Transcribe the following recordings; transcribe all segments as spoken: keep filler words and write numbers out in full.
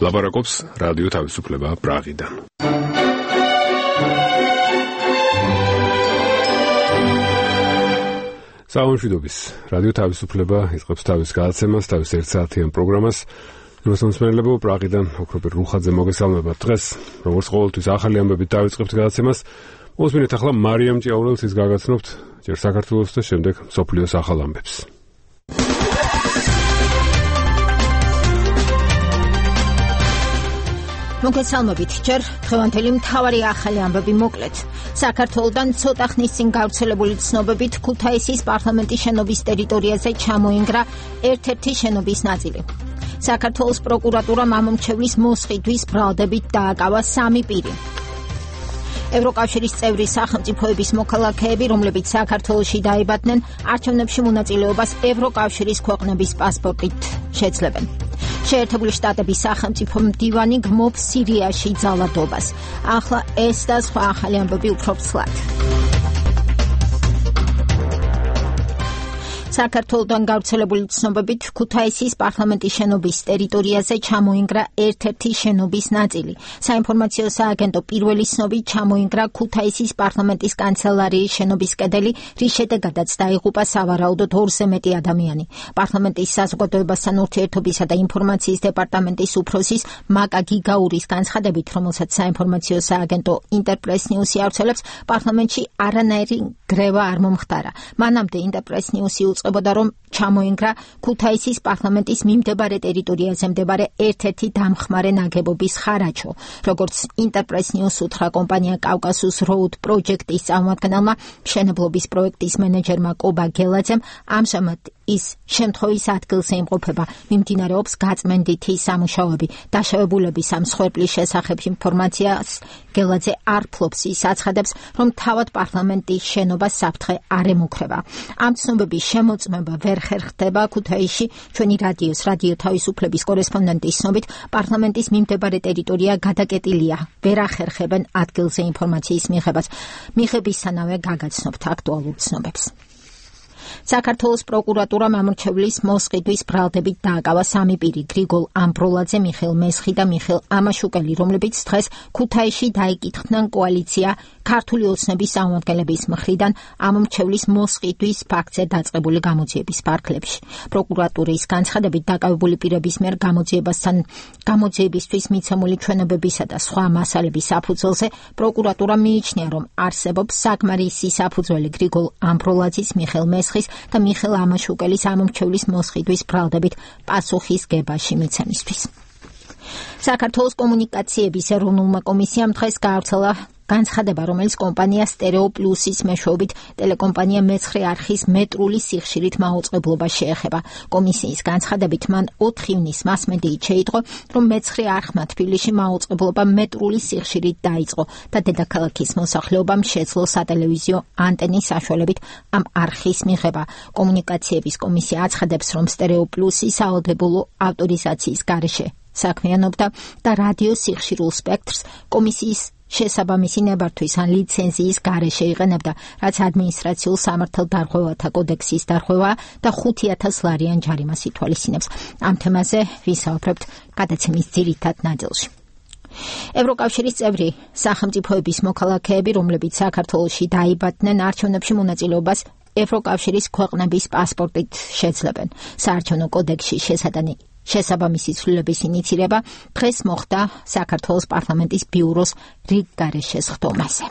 ლაპარაკობს რადიო თავისუფლება პრაღიდან. საუნშვიდობის რადიო თავისუფლება იწყებს თავის გადაცემას, თავის ერთსაათიან პროგრამას. მოსმენელებო პრაღიდან ოქროპერ რუხაძე მოგესალმებათ. დღეს როგორც ყოველთვის ახალი ამბებით დავიწყებთ გადაცემას. მოსმენთ ახლა მარიამ ჭიაურელს ის გაგაცნობთ ჯერ საქართველოს და შემდეგ მსოფლიოს ახალ ამბებს. მოგესალმებით, ჯერ დღევანდელი მთავარი ახალი ამბები მოკლედ. საქართველოდან ცოტა ხნის წინ გავრცელებული ცნობებით ქუთაისის პარლამენტის შენობის ტერიტორიაზე ჩამოინგრა ერთ-ერთი შენობის ნაწილი. საქართველოს პროკურატურამ ამომრჩევლის მოსყიდვის ბრალდებით დააკავა სამი პირი. ევროკავშირის წევრი სახელმწიფოების მოქალაქეები, რომლებიც საქართველოში დაიბადნენ, არჩევნებში მონაწილეობას ევროკავშირის ქვეყნების პასპორტით შეძლებენ. შეერთებული შტატების სახელმწიფო მდივანი გმობს სირიაში ძალადობას. ახლა ეს და სხვა ახალი ამბები უფრო ცლად. საქართველოდან გავრცელებული ცნობებით ქუთაისის პარლამენტის შენობის ტერიტორიაზე ჩამოინგრა ერთ-ერთი შენობის ნაწილი. საინფორმაციო სააგენტო პირველი ცნობით ჩამოინგრა ქუთაისის პარლამენტის კანცელარიის შენობის კედელი, რის შედეგადაც დაიღუპა სავარაუდოდ ორზე მეტი ადამიანი. პარლამენტის საზოგადოებასთან ურთიერთობისა და ინფორმაციის დეპარტამენტის უფროსის მაკა გიგაურის განცხადებით, რომელსაც საინფორმაციო სააგენტო ინტერპრეს ნიუსი ავრცელებს, პარლამენტში არანაირი გრევა არ მომხდარა. მანამდე ინტერპრეს ნიუსი უწყებოდა, რომ ჩამოინგრა ქუთაისის პარლამენტის მიმდებარე ტერიტორიაზე მდებარე ერთ-ერთი დამხმარე ნაგებობის ხარაჩო. როგორც ინტერპრეს ნიუს უთხრა კომპანია კავკასუს როუდ პროჯექტის წარმომადგენელმა, მშენებლობის პროექტის მენეჯერმა კობა გელაძემ, ამჟამად ის შემთხვევის ადგილზე იმყოფება. მიმდინარეობს გაწმენდითი სამუშაოები. დაშავებულების ამ მსხვერპლის შესახებ ინფორმაციას გელაძე არ ფლობს. ის აცხადებს, რომ თავად პარლამენტის შენობას საფრთხე არ ემუქრება. ამ ცნობების შემოწმება ვერ ხერხდება ქუთაისში. ჩვენი რადიოს რადიო თავისუფლების კორესპონდენტის ცნობით, პარლამენტის მიმდებარე ტერიტორია გადაკეტილია. ვერ ახერხებენ ადგილზე ინფორმაციის მიღებას. მიღებისთანავე გაგაცნობთ აქტუალურ ცნობებს. საქართველოს პროკურატურამ ამორჩევლის მოსყიდვის ბრალდებით დააკავა სამი პირი: გრიგოლ ამბროლაძე, მიხეილ მესხი და მიხეილ ამაშუკელი, რომლებიც დღეს ქუთაისში დაიკითხდნენ კოალიცია ქართული ოცნების წარმომადგენლების მხრიდან ამორჩევლის მოსყიდვის ფაქტზე დაწყებული გამოძიების ფარგლებში. პროკურატურის განცხადებით, დაკავებული პირების მიერ გამოძიებასთან გამოძიებისთვის მიცემული ჩვენებებისა და სხვა მასალების საფუძველზე პროკურატურა მიიჩნია, რომ არსებობს საკმარისი საფუძველი გრიგოლ ამბროლაძის, მიხეილ მესხის და მიხეილ ამაშუკელის ამორჩევლის მოსყიდვის ბრალდებით პასუხისგებაში მიცემისთვის. საქართველოს კომუნიკაციების ეროვნულმა კომისიამ დღეს გაავრცელა განცხადება, რომელიც კომპანია სტერეო პლუსის მეშვეობით ტელეკომპანია მეცხრე არხის მეტრული სიხშირით მაუწყებლობა შეეხება. კომისიის განცხადებით, მან ოთხი ივნის მასმედიით შეიტყო, რომ მეცხრე არხმა თბილისში მაუწყებლობა მეტრული სიხშირით დაიწყო და დედაქალაქის მოსახლეობამ შეძლო სატელევიზიო ანტენის საშუალებით ამ არხის მიღება. კომუნიკაციების კომისია აცხადებს, რომ სტერეო პლუსი სავალდებულო ავტორიზაციის გარეშე საქმიანობდა და რადიო სიხშირულ სპექტრს კომისიის შესაბამისი ნებართვის ან ლიცენზიის გარეშე იყენებდა, რაც ადმინისტრაციულ სამართალდარღვევათა კოდექსის დარღვევა და ხუთი ათას ლარიან ჯარიმას ითვალისწინებს. ამ თემაზე ვისაუბრებთ გადაცემის ძირითად ნაწილში. ევროკავშირის წევრი სახელმწიფოების მოქალაქეები, რომლებიც საქართველოში დაიბადნენ, არჩევნებში მონაწილეობას ევროკავშირის ქვეყნების პასპორტით შეძლებენ. საარჩევნო კოდექსში შესადანი შესაბამისი ცვლილების ინიცირება დღეს მოხდა საქართველოს პარლამენტის ბიუროს რიგ გარეშეს ხდომაზე.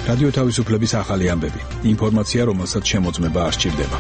რადიო თავისუფლების ახალი ამბები. ინფორმაცია, რომელსაც შემოწმება არ სჭირდება.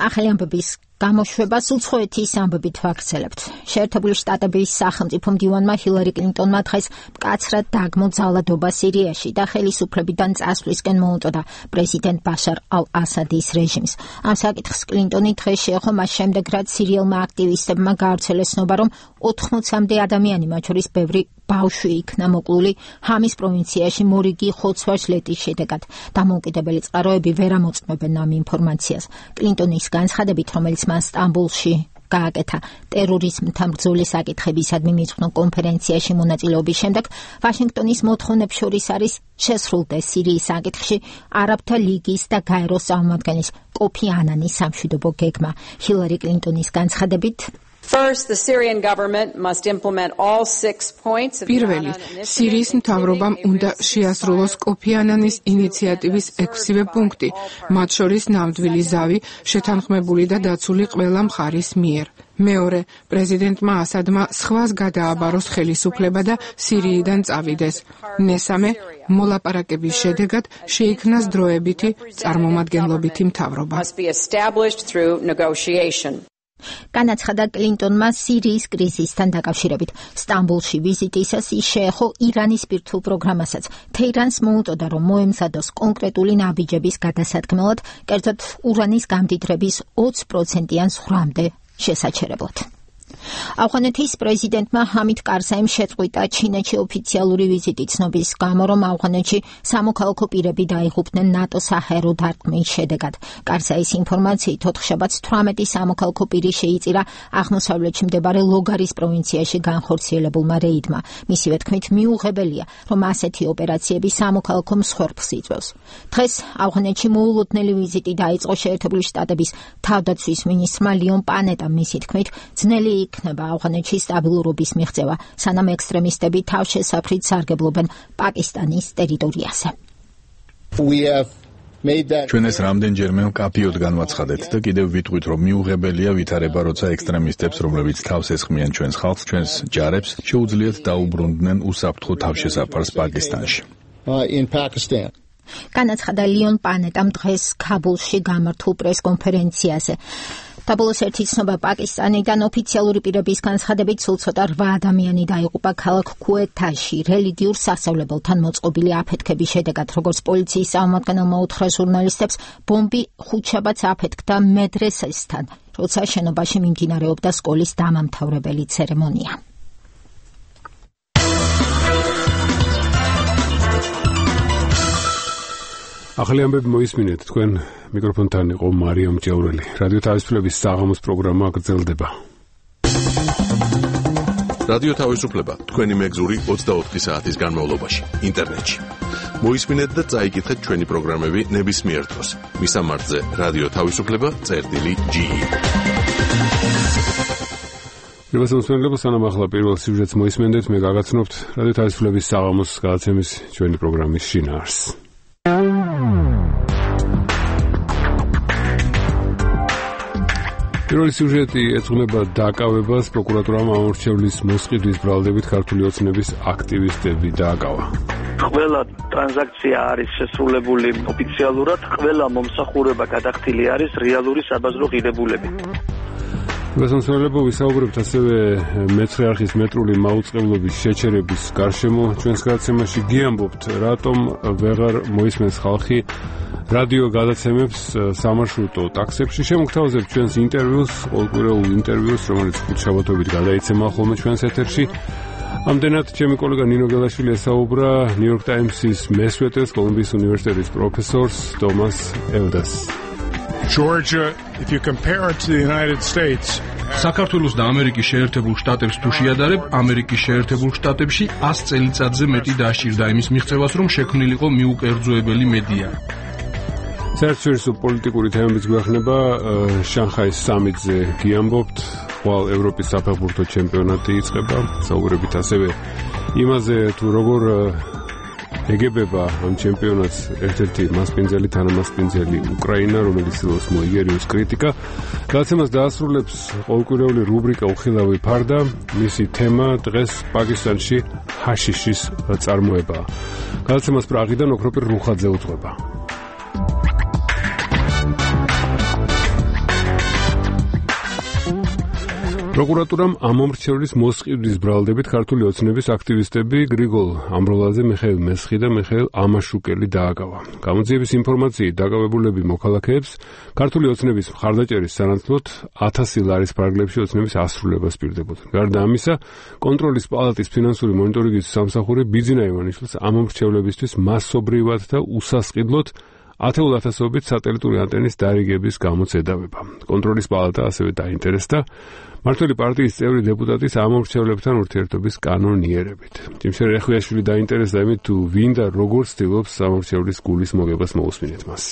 ახალი ამბების გამოშვებას უცხოეთის ამბებით ვაგრძელებთ. შეერთებული შტატების სახელმწიფო მდივანმა ჰილარი კლინტონმა დღეს მკაცრად დაგმო ძალადობა სირიაში და ხელისუფლებიდან წასვლისკენ მოუწოდა პრეზიდენტ ბაშარ ალ-ასადის რეჟიმს. ამ საკითხს კლინტონი დღეს შეეხო მას შემდეგ, რაც სირიელმა აქტივისტებმა გაავრცელეს ცნობა, რომ ოთხმოცამდე ადამიანი, მათ შორის ბევრი ბავშვი იქნა მოკლული ჰამის პროვინციაში მორიგი ხოცვა-ჟლეტის შედეგად. დამოუკიდებელი წყაროები ვერ ამოწმებენ ამ ინფორმაციას. კლინტონის განცხადებით, რომელიც მან სტამბოლში გააკეთა. ტერორიზმთან ბრძოლის საკითხებისადმი მიძღვნილ კონფერენციაში მონაწილეობის შემდეგ ვაშინგტონის მოთხოვნებს შორის არის შესრულდეს სირიის საკითხში არაბთა ლიგის და გაეროს წარმომადგენლის კოფი ანანის სამშვიდობო გეგმა. ჰილარი კლინტონის განცხადებით First, the Syrian government must implement all six points of პირველი, სირიის მთავრობამ უნდა შეასრულოს კოფი ანანის ინიციატივის ექვსივე პუნქტი, მათ შორის ნამდვილი ზავი, შეთანხმებული და დაცული ყველა მხარის მიერ. მეორე, პრეზიდენტმა ასადმა სხვას გადააბაროს ხელისუფლება და სირიიდან წავიდეს. მესამე, მოლაპარაკების შედეგად შეიქმნას დროებითი წარმომადგენლობითი მთავრობა. განაცხადა კლინტონმა სირიის კრიზისთან დაკავშირებით. სტამბოლში ვიზიტისას ის შეეხო ირანის ბირთვულ პროგრამასაც. თეირანს მოუწოდა, რომ მოემზადოს კონკრეტული ნაბიჯების გადასადგმელად, კერძოდ ურანის გამდიდრების ოცი პროცენტიან ზღვრამდე შესაჩერებლად. ავღანეთის პრეზიდენტმა ჰამიდ კარზაიმ შეწყვიტა ჩინეთში ოფიციალური ვიზიტი ცნობის გამო, რომ ავღანეთში სამოქალაქო პირები დაიღუპნენ ნატოს საჰაერო დარტყმის შედეგად. კარზაის ინფორმაციით ოთხშაბათს თვრამეტი სამოქალაქო პირი შეიწირა აღმოსავლეთში მდებარე ლოგარის პროვინციაში განხორციელებულმა რეიდმა. მისივე თქმით, მიუღებელია, რომ ასეთი ოპერაციები სამოქალაქო მსხვერპლს იწვევს. დღეს ავღანეთში მოულოდნელი ვიზიტი დაიწყო შეერთებული შტატების თავდაცვის მინისტრმა ლიონ პანეტამ. მისი თქმით, ძნელი იქნება ავღანეთში სტაბილურობის მიღწევა, სანამ ექსტრემისტები თავშესაფრით სარგებლობენ პაკისტანის ტერიტორიაზე. ჩვენ ეს რამდენჯერმე მკაფიოდ განვაცხადეთ და კიდევ ვიტყვით, რომ მიუღებელია ვითარება, როცა ექსტრემისტებს, რომლებიც თავს ესხმიან ჩვენს ხალხს, ჩვენს ჯარებს, შეუძლიათ დაუბრუნდნენ უსაფრთხო თავშესაფარს პაკისტანში. განაცხადა ლიონ პანეტამ დღეს ქაბულში გამართულ პრესკონფერენციაზე. დაბოლოს ერთი ცნობა პაკისტანიდან ოფიციალური პირების განცხადებით სულ ცოტა რვა ადამიანი დაიღუპა ქალაქ ქუეთაში რელიგიურ სასწავლებელთან მოწყობილი აფეთქების შედეგად. როგორც პოლიციის წარმომადგენელმა უთხრა ჟურნალისტებს, ბომბი ხუთშაბათს აფეთქდა მედრესესთან, როცა შენობაში მიმდინარეობდა სკოლის დამამთავრებელი ცერემონია. ახალი ამბები მოისმინეთ, თქვენ მიკროფონთან იყო მარიამ ჭეურელი. რადიო თავისუფლების საღამოს პროგრამა გრძელდება. რადიო თავისუფლება თქვენი მეგზური ოცდაოთხი საათის განმავლობაში ინტერნეტში. მოისმინეთ და წაიკითხეთ ჩვენი პროგრამები ნებისმიერ დროს. მისამართზე რადიო თავისუფლება წერტილი ჯი. მოგესალმებით, სანამ ახლა პირველ სიუჟეტს მოისმენდეთ, მე გაგაცნობთ რადიო თავისუფლების საღამოს გადაცემის ჩვენი პროგრამის შინაარსს. პირველი სიუჟეტი ეძღვნება დაკავებას. პროკურატურამ ამორჩევლის მოსყიდვის ბრალდებით ქართული ოცნების აკტივისტები დააკავა. ყველა ტრანზაქცია არის შესრულებული ოფიციალურად, ყველა მომსახურება გადახდილი არის რეალური საბაზრო ღირებულებით. მოგესალმებით, ვისაუბრებთ ასევე მეცხრე არხის მეტრული მაუწყებლობის შეჩერების გარშემო. ჩვენს გადაცემაში გიამბობთ, რატომ ვეღარ მოისმენს ხალხი რადიო გადაცემებს სამარშრუტო ტაქსებში. შემოგთავაზებთ ჩვენს ინტერვიუს, ყოველკვირეულ ინტერვიუს, რომელიც ხუთშაბათობით გადაიცემა ხოლმე ჩვენს ეთერში. ამდენად ჩემი კოლეგა ნინო გელაშვილი ესაუბრა ნიუ-იორკ ტაიმსის მესვეტეს, კოლუმბიის უნივერსიტეტის პროფესორს თომას ელდას. Georgia, if you compare it to the United States, საქართველოს და ამერიკის შეერთებულ შტატებს თუ შეადარებ, ამერიკის შეერთებულ შტატებში ას წელიწადზე მეტი დასჭირდა იმის მიღწევას, რომ შექმნილიყო მიუკერძოებელი მედია. საერთაშორისო პოლიტიკური თემებიც გვეხნება. შანხაის სამიტზე გიამბობთ, ხვალ ევროპის საფეხბურთო ჩემპიონატი იწყება. საუბრებით ასევე იმაზე, თუ როგორ ეგებება ამ ჩემპიონატს ერთ-ერთი მასპინძელი, თანამასპინძელი უკრაინა, რომელიც ცდილობს მოიგერიოს კრიტიკა. გადაცემას დაასრულებს ყოველკვირეული რუბრიკა უხილავი ფარდა. მისი თემა დღეს პაკისტანში ჰაშიშის წარმოებაა. გადაცემას პრაღიდან ოქროპირ რუხაძე უთხრობა. პროკურატურამ ამომრჩევლის მოსყიდვის ბრალდებით ქართული ოცნების აქტივისტები გრიგოლ ამბროლაძე, მიხეილ მესხი და მიხეილ ამაშუკელი დააკავა. გამოძიების ინფორმაციით დაკავებულები მოქალაქეებს ქართული ოცნების მხარდაჭერის სანაცვლოდ ათასი ლარის ფარგლებში ოცნების ასრულებას პირდებოდნენ. გარდა ამისა, კონტროლის პალატის ფინანსური მონიტორინგის სამსახური ბიძინა ივანიშვილს ამომრჩევლებისთვის მასობრივად და უსასყიდლოდ ათეულ ათასობით სატელიტური ანტენის დარიგების გამოც ედავება. კონტროლის პალატა ასევე დაინტერესდა მმართველი პარტიის წევრი დეპუტატის ამომრჩევლებთან ურთიერთობის კანონიერებით. ჯიმშე რეხვიაშვილი დაინტერესდა იმით, თუ ვინ და როგორ ცდილობს ამომრჩევლის გულის მოგებას მოусმინეთ მას.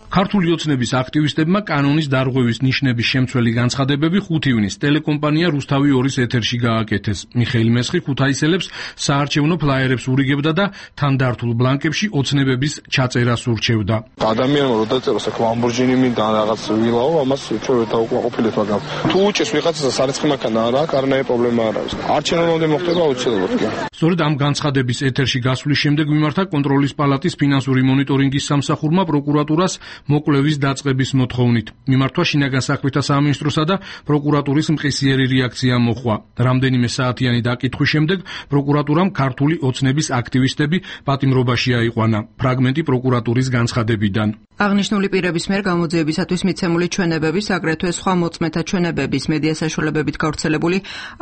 ქართული ოცნების აქტივისტებმა კანონის დარღვევის ნიშნების შემცველი განცხადებები ხუთი ივნისს ტელეკომპანია რუსთავი ორის ეთერში გააკეთეს. მიხეილ მესხი ქუთაისელებს საარჩევნო ფლაიერებს ურიგებდა და თანდართულ ბლანკებში ოცნებების ჩაწერას ურჩევდა. ადამიანმა რო დაწეროს აქ ლამბორჯინი მინდა რაღაც ვილაო, ამას ჩვენ დავუკმაყოფილეთ, მაგრამ თუ უჭეს ვიღაცას სარიცხი მანქანა არა აქვს, არანაირი პრობლემა არ არის. არჩევნამდე მოხდება აუცილებლად კი. სწორედ ამ განცხადების ეთერში გასვლის შემდეგ მიმართა კონტროლის პალატის ფინანსური მონიტორინგის სამსახურმა პროკურატურას მოკვლევის დაწყების მოთხოვნით. მიმართვა შინაგან საქმეთა სამინისტროსა და პროკურატურის მყისიერი რეაქცია მოჰყვა. რამდენიმე საათიანი დაკითხვის შემდეგ პროკურატურამ ქართული ოცნების აქტივისტები პატიმრობაში აიყვანა. ფრაგმენტი პროკურატურის განცხადებიდან. აღნიშნული პირების მიერ გამოძიებისათვის მიცემული ჩვენებების, აგრეთვე სხვა მოწმეთა ჩვენებების, მედია საშუალებებით გავრცელებული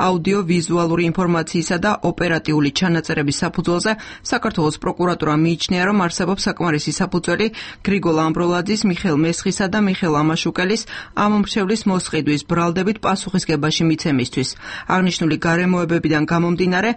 აუდიო-ვიზუალური ინფორმაციისა და ოპერატიული ჩანაწერების საფუძველზე საქართველოს პროკურატურა მიიჩნია, რომ არსებობს საკმარისი საფუძველი გრიგოლ ამბროლაძის, მიხეილ მესხისა და მიხეილ ამაშუკელის ამომრჩევლის მოსყიდვის ბრალდებით პასუხისგებაში მიცემისთვის. აღნიშნული გარემოებებიდან გამომდინარე,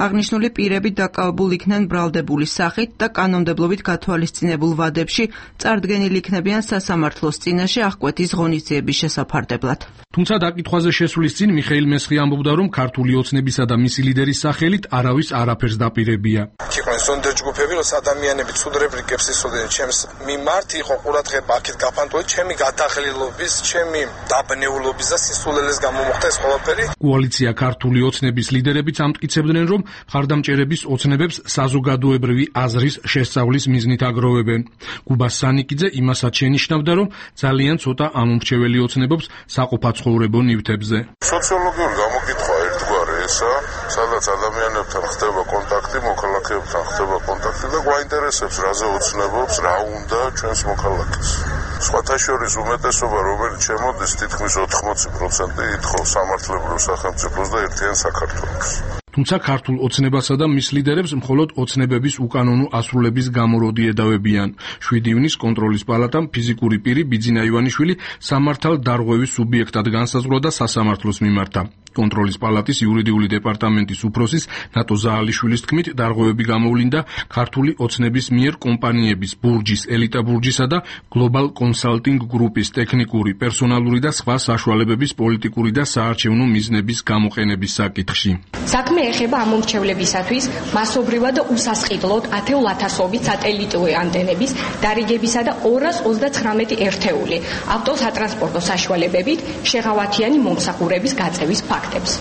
აღნიშნული პირები დაკავებულ იქნენ ბრალდებული სახით და კანონმდებლობით გათვალისწინებულ ვადებში წარდგენილი იქნებიან სასამართლოს წინაშე აღკვეთის ღონისძიების შესაფარდებლად. თუმცა დაკითხვაზე შესვლის წინ მიხეილ მესხი ამბობდა, რომ ქართული ოცნებისა და მისი ლიდერის სახელით არავის არაფერს დაპირებია. იყვნენ ზონდერ ჯგუფები, რომ ადამიანები ცუდრებ რიგებს ისოდნენ ჩემს მიმართ, იყო ყურადღება აქეთ გაფანტული, ჩემი გადაღლილობის, ჩემი დაბნეულობის და სისულელეს გამომხდა ეს ყველაფერი. კოალიცია ქართული ოცნების ლიდერებიც ამტკიცებდნენ, რომ მხარდამჭერების ოცნებებს საზოგადოებრივი აზრის შესწავლის მიზნით აგროვებენ. გუბას სანიკიძე იმასაც შენიშნავდა, რომ ძალიან ცოტა ამომრჩეველი ოცნებობს საყოფაცხოვრებო ნივთებზე. სოციოლოგიური გამოკითხვა ერთგვარი ესა, სადაც ადამიანებთან ხდება კონტაქტი, მოქალაქეებთან ხდება კონტაქტი და გვაინტერესებს რაზე ოცნებობს, რა უნდა ჩვენს მოქალაქეს. სხვათა შორის უმეტესობა, რომელიც შემოდის, თითქმის ოთხმოცი პროცენტი ითხოვს სამართლებრივ სახელმწიფოს და ერთიან საქართველოს. თუმცა ქართულ ოცნებასა და მის ლიდერებს მხოლოდ ოცნებების უკანონო ასრულების გამოროდი ედავებიან. შვიდი ივნისს კონტროლის პალატამ ფიზიკური პირი ბიძინა ივანიშვილი სამართალ დარღვევის სუბიექტად განსაზღვრა და სასამართლოს მიმართა. კონტროლის პალატის იურიდიული დეპარტამენტის უფროსის ნატო ზაალიშვილის თქმით, დარღვევები გამოვლინდა ქართული ოცნების მიერ კომპანიების ბურჯის, ელიტა ბურჯისა და გლობალ კონსალტინგ გრუპის ტექნიკური, პერსონალური და სხვა საშუალებების პოლიტიკური და საარჩევნო მიზნების გამოყენების საკითხში. საქმე ეხება ამომრჩევლებისათვის მასობრივად და უსასყიდლოდ ათეულ ათასობით სატელიტური ანტენების დარიგებისა და ორას ოცდაცხრამეტი ერთეული ავტოსატრანსპორტო საშუალებებით შეღავათიანი მომსახურების გაწევის ფაქტებს.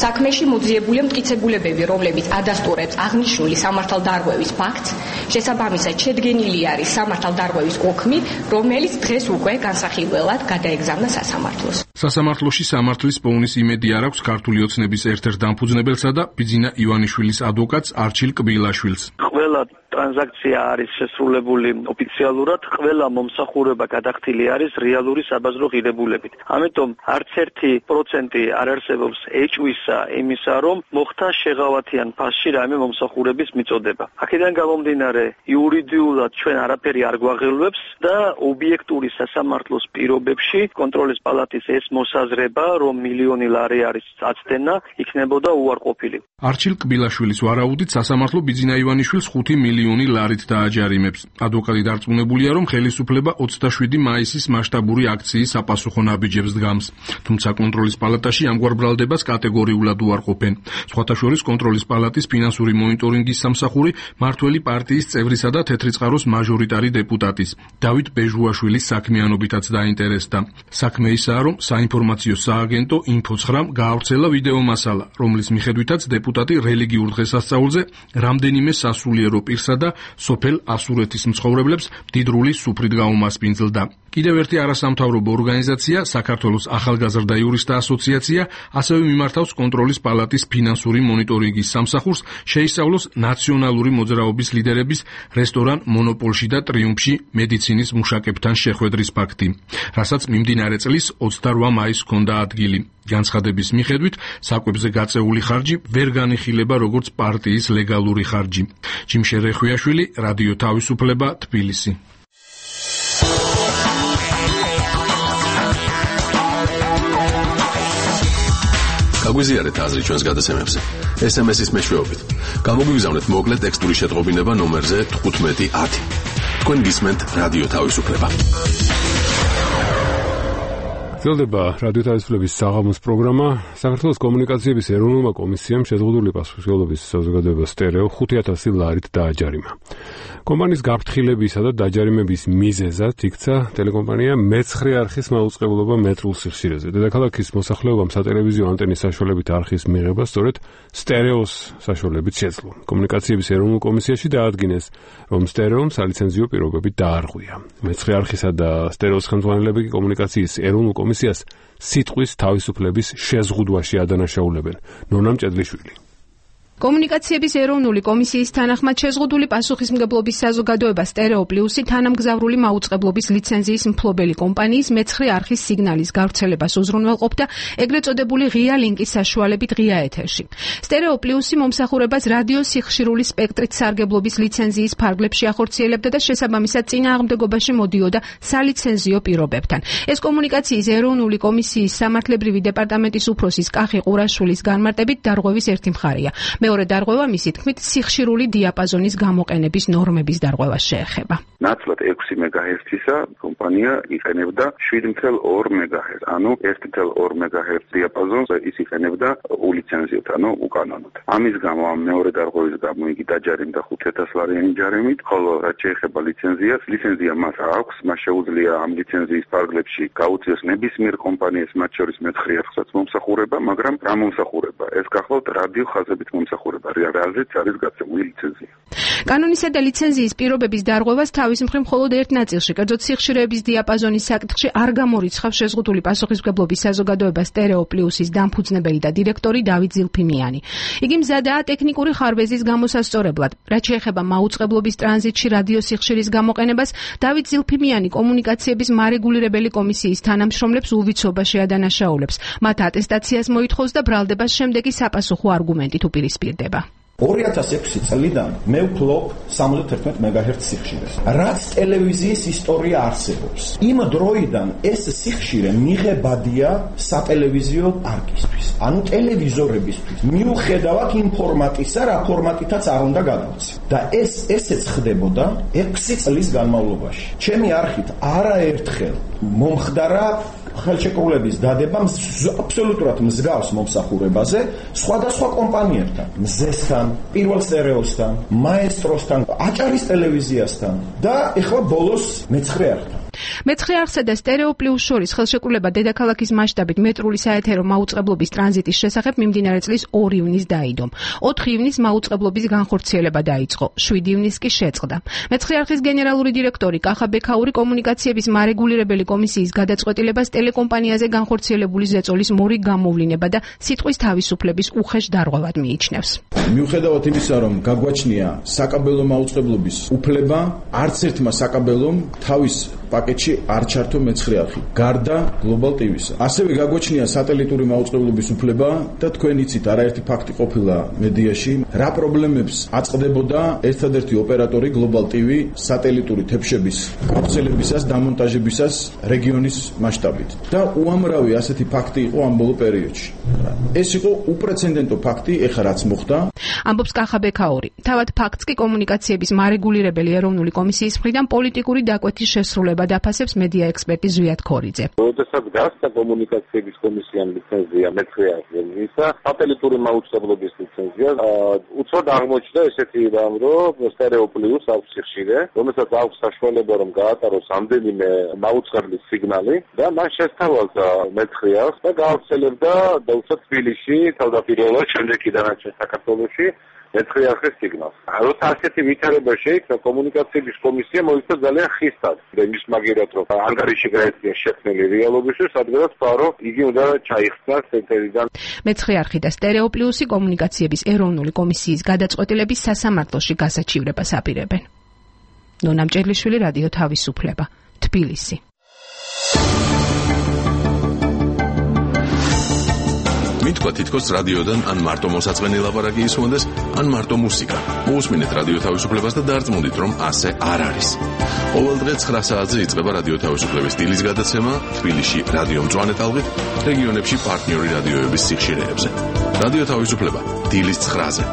საქმეში მოძიებულია მტკიცებულებები, რომლებიც ადასტურებს აღნიშნული სამართალდარღვევის ფაქტს, შესაბამისად შედგენილი არის სამართალდარღვევის ოქმი, რომელიც დღეს უკვე განსახილველად გადაეგზავნა სასამართლოს. სასამართლოში სამართლის პოვნის იმედი არ აქვს ქართული ოცნების ერთ-ერთ დამფუძნებელსა და ბიძინა ივანიშვილის ადვოკატს არჩილ კბილაშვილს. ყველა ტრანზაქცია არის შესრულებული ოფიციალურად, ყველა მომსახურება გადახდილი არის რეალური საბაზრო ღირებულებით. ამიტომ არც ერთი პროცენტი არ არსებობს ეჭვისა იმისა, რომ მოხდა შეღავათიან ფასში რაიმე მომსახურების მიწოდება. აქედან გამომდინარე, იურიდიულად ჩვენ არაფერი არ გვაღელვებს და ობიექტური სასამართლოს პირობებში კონტროლის პალატის ეს მოსაზრება, რომ მილიონი ლარი არის აწდენა, იქნებოდა უარყოფილი. არჩილ კბილაშვილის ვარაუდით სასამართლო ბიძინა ივანიშვილს ხუთი მილიონი ლარით დააჯარიმებს. ადვოკატი დარწმუნებულია, რომ ხელისუფლება ოცდაშვიდი მაისის მასშტაბური აქციის საპასუხო ნაბიჯებს დგამს. თუმცა კონტროლის პალატაში ამგვარ ბრალდებას კატეგორიულად უარყოფენ. სხვათა შორის კონტროლის პალატის ფინანსური მონიტორინგის სამსახური მართველი პარტიის წევრისა და თეთრი წყაროს მაჟორიტარი დეპუტატის დავით ბეჟუაშვილის საქმიანობითაც დაინტერესდა. საქმე ისაა, რომ საინფორმაციო სააგენტო ინფოცხრამ გაავრცელა ვიდეო მასალა, რომლის მიხედვითაც დეპუტატი რელიგიურ დღესასწაულზე რამდენიმე სასულიერო პირსა და სოფელ ასურეთის მცხოვრებლებს მდიდრული სუფრით გაუმასპინძლდა. კიდევ ერთი არასამთავრობო ორგანიზაცია, საქართველოს ახალგაზრდა იურისტთა ასოციაცია, ასევე მიმართავს კონტროლის პალატის ფინანსური მონიტორინგის სამსახურს, შეისწავლოს ნაციონალური მოძრაობის ლიდერების რესტორან მონოპოლში და ტრიუმფში მედიცინის მუშაკებთან შეხვედრის ფაქტი, რასაც მიმდინარე წლის ოცდარვა მაისს ჰქონდა ადგილი. განცხადების მიხედვით, საკვებზე გაწეული ხარჯი ვერ განიხილება როგორც პარტიის ლეგალური ხარჯი. ჯიმშე რეხვიაშვილი, რადიო თავისუფლება, თბილისი. გაგვიზიარეთ აზრი ჩვენს გადაცემებზე. ეს ემ ეს-ის მეშვეობით. გამოგვიგზავნეთ მოკლე ტექსტური შეტყობინება ნომერზე თხუთმეტი ათი. თქვენ გისმენთ რადიო თავისუფლება. გრძელდება რადიო თავისუფლების საღამოს პროგრამა. საქართველოს კომუნიკაციების ეროვნულმა კომისიამ შეზღუდული პასუხისმგებლობის საზოგადოება სტერეო ხუთი ათასი ლარით დააჯარიმა. კომპანიის გაფრთხილებისა და დაჯარიმების მიზეზად იქცა ტელეკომპანია მეცხრე არხის მაუწყებლობა მეტრულ სიხშირეზე. დედაქალაქის მოსახლეობამ სატელევიზიო ანტენის საშუალებით არხის მიღება სწორედ სტერეოს საშუალებით შეძლო. კომუნიკაციების ეროვნულ კომისიაში დაადგინეს, რომ სტერეომ სალიცენზიო პირობები დაარღვია. მეცხრე არხისა და სტერეოს ხელმძღვანელები კომუნიკაციის ეროვნულ კომისიას სიტყვის თავისუფლების შეზღუდვაში ადანაშაულებენ. ნონა მჭედლიშვილი. კომუნიკაციების ეროვნული კომისიის თანახმად შეზღუდული პასუხისმგებლობის საზოგადოება სტერეო პლუსი თანამგზავრული მაუწყებლობის ლიცენზიის მფლობელი კომპანიის მეცხრე არხის სიგნალის გავრცელებას უზრუნველყოფდა ეგრეთ წოდებული ღია ლინკის საშუალებით ღია ეთერში. სტერეო პლუსი მომსახურებას რადიო სიხშირული სპექტრით სარგებლობის ლიცენზიის ფარგლებში ახორციელებდა და შესაბამისად წინააღმდეგობაში მოდიოდა სალიცენზიო პირობებთან. ეს კომუნიკაციის ეროვნული კომისიის სამართლებრივი დეპარტამენტის უფროსის კახი ყურაშვილის განმარტებით დარღვევის ერთი მხარეა. მეორე დარღვევა მისი თქმით სიხშირული დიაპაზონის გამოყენების ნორმების დარღვევას შეეხება. ნაცვლად ექვსი მეგაჰერცისა კომპანია იყენებდა შვიდ ათას ორი მეგაჰერცს, ანუ ერთი ათას ორი მეგაჰერცს დიაპაზონს ის იყენებდა ულიცენზიოდ, ანუ უკანონოდ. ამის გამო ამ მეორე დარღვევის გამო იგი დაჯარიმდა ხუთი ათასი ლარიანი ჯარიმით, ხოლო რაც შეეხება ლიცენზიას, ლიცენზია მას აქვს, მას შეუძლია ამ ლიცენზიის ფარგლებში გაუწიოს ნებისმიერ კომპანიას, მათ შორის მეცხრე არხსაც მომსახურება, მაგრამ რა მომსახურება? ეს გახლავთ რადიო ხაზებით მომსახურება, რაზეც არის გაწეული ლიცენზია. კანონისა და ლიცენზიის პირობების დარღვევას თავის მხრივ მხოლოდ ერთ ნაწილში, კერძოდ სიხშირეების დიაპაზონის საკითხში არ გამორიცხავს შეზღუდული პასუხისმგებლობის საზოგადოება სტერეო პლუსის დამფუძნებელი და დირექტორი დავით ზილფიმიანი. იგი მზადაა ტექნიკური ხარვეზის გამოსასწორებლად. რაც შეეხება მაუწყებლობის ტრანზიტში რადიო სიხშირის გამოყენებას, დავით ზილფიმიანი კომუნიკაციების მარეგულირებელი კომისიის თანამშრომლებს უვიცობაში ადანაშაულებს. მათ ატესტაციას მოითხოვს და ბრალდებას შემდეგი საპასუხო არგუმენტით უპირისპირდება. ორი ათას ექვსი წლიდან მე ვფლობ სამოცდათერთმეტ მეგაჰერცს სიხშირეს. რაც ტელევიზიის ისტორია არსებობს. იმ დროიდან ეს სიხშირე მიღებადია სატელევიზიო პარკისთვის, ანუ ტელევიზორებისთვის. მიუხედავად იმ ფორმატისა, რა ფორმატითაც არ უნდა გადავცი. და ეს ესეც ხდებოდა ექვსი წლის განმავლობაში. ჩემი არხით არაერთხელ მომხდარა ხელშეკრულების დადება აბსოლუტურად მსგავს მომსახურებაზე სხვადასხვა კომპანიებთან, მზესთან, პირველ სტერეოსთან, მაესტროსთან, აჭარის ტელევიზიასთან და ეხლა ბოლოს მეცხრე არხთან. მეცხრე არხსა და სტერეო პლუს შორის ხელშეკრულება დედაქალაქის მასშტაბით მეტრული საეთერო მაუწყებლობის ტრანზიტის შესახებ მიმდინარე წლის ორი ივნისს დაიდო. ოთხი ივნისს მაუწყებლობის განხორციელება დაიწყო, შვიდი ივნისს კი შეწყდა. მეცხრე არხის გენერალური დირექტორი კახა ბექაური კომუნიკაციების მარეგულირებელი კომისიის გადაწყვეტილებას ტელეკომპანიაზე განხორციელებული ზეწოლის მორიგ გამოვლინება და სიტყვის თავისუფლების უხეშ დარღვევად მიიჩნევს. მიუხედავად იმისა, რომ გაგვაჩნია საკაბელო მაუწყებლობის უფლება, არც ერთმა საკაბელომ თავის პაკეტში არ ჩართო მეცხრე არხი, გარდა გლობალ ტივისა. ასევე გაგვაჩნია სატელიტური მაუწყებლობის უფლება და თქვენ იცით, არაერთი ფაქტი ყოფილა მედიაში, რა პრობლემებს აწყდებოდა ერთადერთი ოპერატორი გლობალ ტივი სატელიტური თებშების გავრცელებისას, დამონტაჟებისას რეგიონის მასშტაბით. და უამრავი ასეთი ფაქტი იყო ამ ბოლო პერიოდში. ეს იყო უპრეცედენტო ფაქტი, ეხლა რაც მოხდა. ამბობს კახა ბექაური. თავად ფაქტს კი კომუნიკაციების მარეგულირებელი ეროვნული კომისიის მხრიდან პოლიტიკური დაკვეთის შესრულება დაფასებს მედია ექსპერტი ზვიად ქორიძე. როდესაც გასცა კომუნიკაციების კომისიამ ლიცენზია მეცხრე არხისა, სატელიტური მაუწყებლობის ლიცენზია, უცბად აღმოჩნდა ესეთი რამ, რომ სტერეო პლუს აქვს სიხშირე, რომელსაც აქვს საშუალება რომ გაატაროს ამდენიმე მაუწყებლის სიგნალი და მან შესთავაზა მეცხრე არხს და გაავრცელებდა დაუშვათ თბილისში, თავდაპირველად, შემდეგ კი დანარჩენ საქართველოში მეცხრე არხის სიგნალს. როცა ასეთი ვითარება შეიქმნა, კომუნიკაციების კომისია მოიქცა ძალიან ხისტად. იმის მაგერად რომ ანგარიში გაეწია შექმნილი რეალობისთვის, სადღაც თქვა რომ იგი უნდა ჩაიხსნას ეთერიდან. მეცხრე არხი და სტერეო პლუსი კომუნიკაციების ეროვნული კომისიის გადაწყვეტილების სასამართლოში გასაჩივრებას აპირებენ. ნონა მჭედლიშვილი, რადიო თავისუფლება, თბილისი. მითქვა თითქოს რადიოდან ან მარტო მოსაწყენი ლაპარაკი ისმოდეს, ან მარტო მუსიკა. მოусმინეთ რადიო თავისუფლებას და დარწმუნდით, რომ ასე არ არის. ყოველდღე ცხრა საათზე იწყება რადიო თავისუფლების დილის გადაცემა თბილისში რადიო მწვანე ტალღით, რეგიონებში პარტნიორი რადიოების სიხშირეებზე. რადიო თავისუფლება დილის ცხრაზე.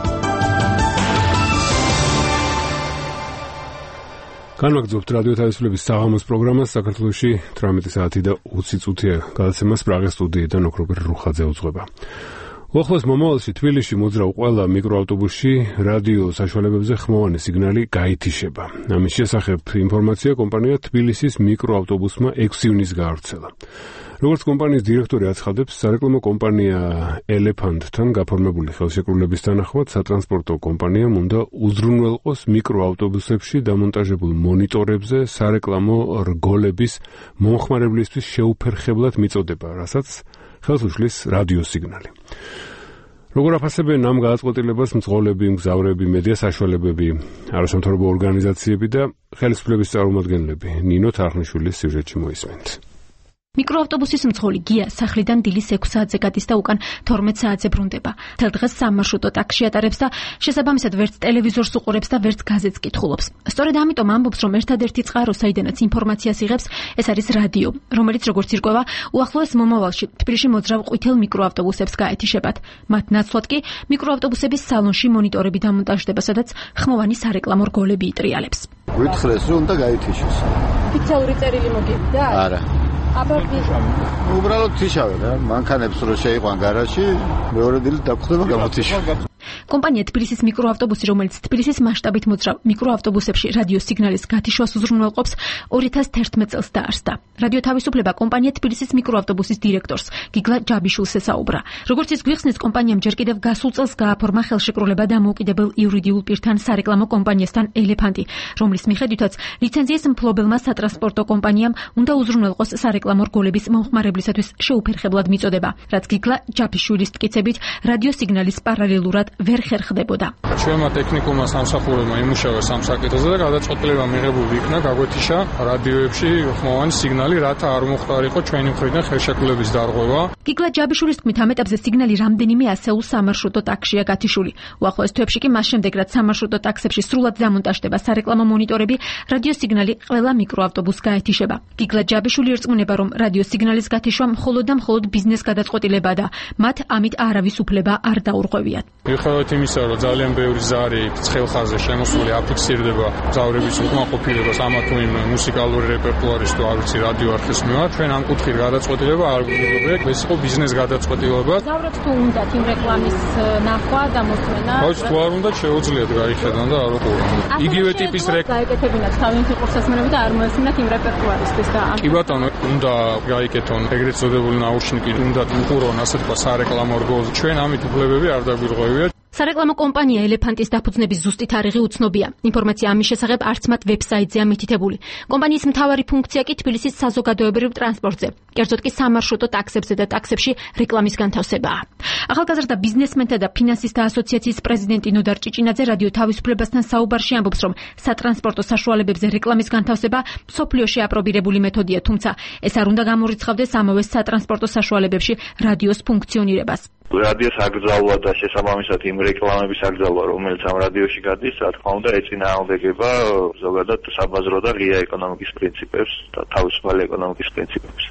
განვაგრძობთ რადიო თავისუფლების საღამოს პროგრამას. საქართველოში თვრამეტი საათი და ოცი წუთია გადაცემას პრაღის სტუდიიდან ოქროპერ რუხაძე უძღვება. უახლოეს მომავალში თბილისში მოძრავ ყველა მიკროავტობუსში რადიო საშუალებებზე ხმოვანი სიგნალი გაითიშება. ამის შესახებ ინფორმაცია კომპანია თბილისის მიკროავტობუსმა ექვსი ივნის გაავრცელა. როგორც კომპანიის დირექტორი აცხადებს, სარეკლამო კომპანია ელეფანტთან გაფორმებული ხელშეკრულების თანახმად სატრანსპორტო კომპანიამ უნდა უზრუნველყოს მიკროავტობუსებში დამონტაჟებულ მონიტორებზე სარეკლამო რგოლების მომხმარებლისთვის შეუფერხებლად მიწოდება, რასაც ხელს უშლის რადიო სიგნალი. როგორ აფასებენ ამ გადაწყვეტილებას მძღოლები, მგზავრები, მედია საშუალებები, არასამთავრობო ორგანიზაციები და ხელისუფლების წარმომადგენლები? ნინო თარხნიშვილის სიუჟეტში მოისმენთ. მიკროავტობუსის მძღოლი გია სახლიდან დილის ექვს საათზე გადის და უკან თორმეტ საათზე ბრუნდება. მთელ დღეს სამარშრუტო ტაქსში ატარებს და შესაბამისად ვერც ტელევიზორს უყურებს და ვერც გაზეთს კითხულობს. სწორედ ამიტომ ამბობს, რომ ერთადერთი წყარო, საიდანაც ინფორმაციას იღებს, ეს არის რადიო, რომელიც როგორც ირკვევა, უახლოეს მომავალში თბილისში მოძრავ ყვითელ მიკროავტობუსებს გაეთიშებათ. მათ ნაცვლად კი მიკროავტობუსების სალონში მონიტორები დამონტაჟდება, სადაც ხმოვანი სარეკლამო რგოლები იტრიალებს. გვითხრეს, რომ უნდა გაითიშოს. ოფიციალური წერილი მოგებდა? არა. უბრალოდ თიშავენ, მანქანებს რო შეიყვან გარაჟში, მეორე დილით დაგხვდება გამოთიშვა. კომპანია თბილისის მიკროავტობუსი, რომელიც თბილისის მასშტაბით მოძრავ მიკროავტობუსებში რადიო სიგნალის გათიშვას უზრუნველყოფს, ორი ათას თერთმეტ წელს დაარსდა. რადიო თავისუფლება კომპანია თბილისის მიკროავტობუსის დირექტორს გიგლა ჯაბიშვილს ესაუბრა. როგორც ის გვიხსნის, კომპანიამ ჯერ კიდევ გასულ წელს გააფორმა ხელშეკრულება დამოუკიდებელ იურიდიულ პირთან სარეკლამო კომპანიასთან ელეფანტი, რომლის მიხედვითაც ლიცენზიის მფლობელმა სატრანსპორტო კომპანიამ უნდა უზრუნველყოს სარეკლამო რგოლების მომხმარებლისათვის შეუფერხებლად მიწოდება, რაც გიგლა ჯაბიშვილის მტკიცებით რადიო სიგნალის პარალელურად ვერ ხერხდებოდა. ჩვენმა ტექნიკურმა სამსახურებმა იმუშავა სამ საკითხზე და გადაწყვეტილება მიღებული იქნა გაგვეთიშა რადიოებში ხმოვანი სიგნალი, რათა არ მოხდარიყო ჩვენი მხრიდან ხელშეკრულების დარღვევა. გიგლა ჯაბიშვილის თქმით, ამ ეტაპზე სიგნალი რამდენიმე ასეულ სამარშრუტო ტაქსშია გათიშული. უახლოეს თვეებში კი მას შემდეგ, რაც სამარშრუტო ტაქსებში სრულად დამონტაჟდება სარეკლამო მონიტორები, რადიო სიგნალი ყველა მიკროავტობუსს გაეთიშება. გიგლა ჯაბიშვილი ერწყმუნება, რომ რადიო სიგნალის გათიშვა მხოლოდ და მხოლოდ ბიზნეს გადაწყვეტილებაა და მათ ამით არავის უფლება არ დაურღვევიათ. მიუხედავად იმისა, რომ ძალიან ბევრი ზარი ცხელხაზე შემოსული აფიქსირდება მგზავრების უკმაყოფილებას ამა თუ იმ მუსიკალური რეპერტუარის თუ არ ვიცი რადიო არხის მიმართ, ჩვენ ამ კუთხით გადაწყვეტილება არ გვიღებთ, ეს იყო ბიზნეს გადაწყვეტილება. მგზავრებს თუ უნდათ იმ რეკლამის ნახვა და მოსმენა? ხო, თუ არ უნდა შეუძლიათ გაიხედან და არ უყურონ. იგივე ტიპის რეკლამა გაიკეთებინათ თავიანთი ყურსასმენები და არ მოესმინათ იმ რეპერტუარისთვის და კი ბატონო, უნდა გაიკეთონ ეგრეთ წოდებული ნაუშნიკი, უნდა უყურონ ასე თქვა სარეკლამო რგოლს. ჩვენ ამით უფლებები არ დაგვირღვევიათ. სარეკლამო კომპანია ელეფანტის დაფუძნების ზუსტი თარიღი უცნობია. ინფორმაცია ამის შესახებ არც მათ ვებსაიტზეა მითითებული. კომპანიის მთავარი ფუნქცია კი თბილისის საზოგადოებრივ ტრანსპორტზე, კერძოდ კი სამარშრუტო ტაქსებზე და ტაქსებში რეკლამის განთავსებაა. ახალგაზრდა ბიზნესმენთა და ფინანსისტთა ასოციაციის პრეზიდენტი ნოდარ ჭიჭინაძე რადიო თავისუფლებასთან საუბარში ამბობს, რომ სატრანსპორტო საშუალებებზე რეკლამის განთავსება მსოფლიოში აპრობირებული მეთოდია, თუმცა ეს არ უნდა გამორიცხავდეს ამავე სატრანსპორტო საშუალებებში რადიოს ფუნქციონირებას. რადიოს აკრძალვა და შესაბამისად იმ რეკლამების აკრძალვა, რომელიც ამ რადიოში გადის, რა თქმა უნდა, ეწინააღმდეგება ზოგადად საბაზრო და ღია ეკონომიკის პრინციპებს და თავისუფალი ეკონომიკის პრინციპებს.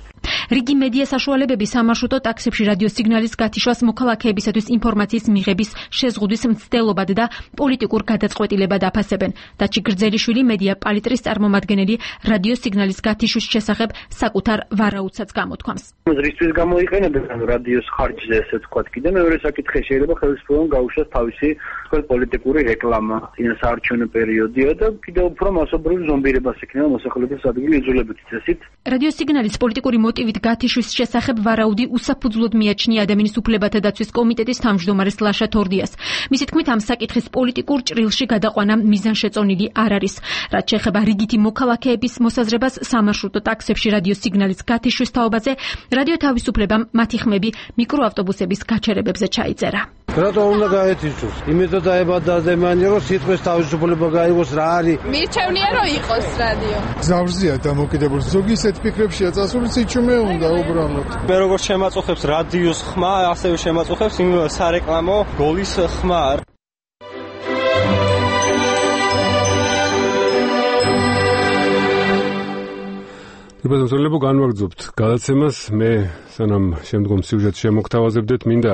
რიგი მედია საშუალებები სამარშრუტო ტაქსებში რადიო სიგნალის გათიშვას მოქალაქეებისათვის ინფორმაციის მიღების შეზღუდვის მცდელობად და პოლიტიკურ გადაწყვეტილებად აფასებენ. დაჩი გრძელიშვილი მედია პალიტრის წარმომადგენელი რადიო სიგნალის გათიშვის შესახებ საკუთარ ვარაუდსაც გამოთქვამს. რისთვის გამოიყენებენ რადიოს ხარჯზე, ესე ვთქვათ, კიდე მეორე საკითხი შეიძლება ხელისუფლებამ გაუშვას თავისი თქვენ პოლიტიკური რეკლამა, წინასაარჩევნო პერიოდია და კიდევ უფრო მასობრივ ზომბირებას ექნება მოსახლეობის ადგილი იძულებითი წესით. რადიო სიგნალის პოლიტიკური მოტივით გათიშვის შესახებ ვარაუდი უსაფუძვლოდ მიაჩნია ადამიანის უფლებათა დაცვის კომიტეტის თავმჯდომარეს ლაშა თორდიას. მისი თქმით, ამ საკითხის პოლიტიკურ ჭრილში გადაყვანა მიზანშეწონილი არ არის. რაც შეეხება რიგითი მოქალაქეების მოსაზრებას სამარშრუტო ტაქსებში რადიო სიგნალის გათიშვის თაობაზე, რადიო თავისუფლებამ მათი ხმები მიკროავტობუსების გაჩერებებზე ჩაიწერა. რატო უნდა გაეთიშოს? იმედად დაებადა ადამიანი, რომ სიტყვის თავისუფლება გაიგოს რა არის. მირჩევნია რომ იყოს რადიო. გზავრზეა დამოკიდებული. ზოგი ისეთ ფიქრებშია წასული, სიჩუმე უნდა უბრალოდ. მე როგორც შემაწუხებს რადიოს ხმა, ასევე შემაწუხებს იმ სარეკლამო გოლის ხმა. იბადოსოლებო განვაგრძობთ გადაცემას. მე სანამ შემდგომ სიუჟეტს შემოგთავაზებდეთ, მინდა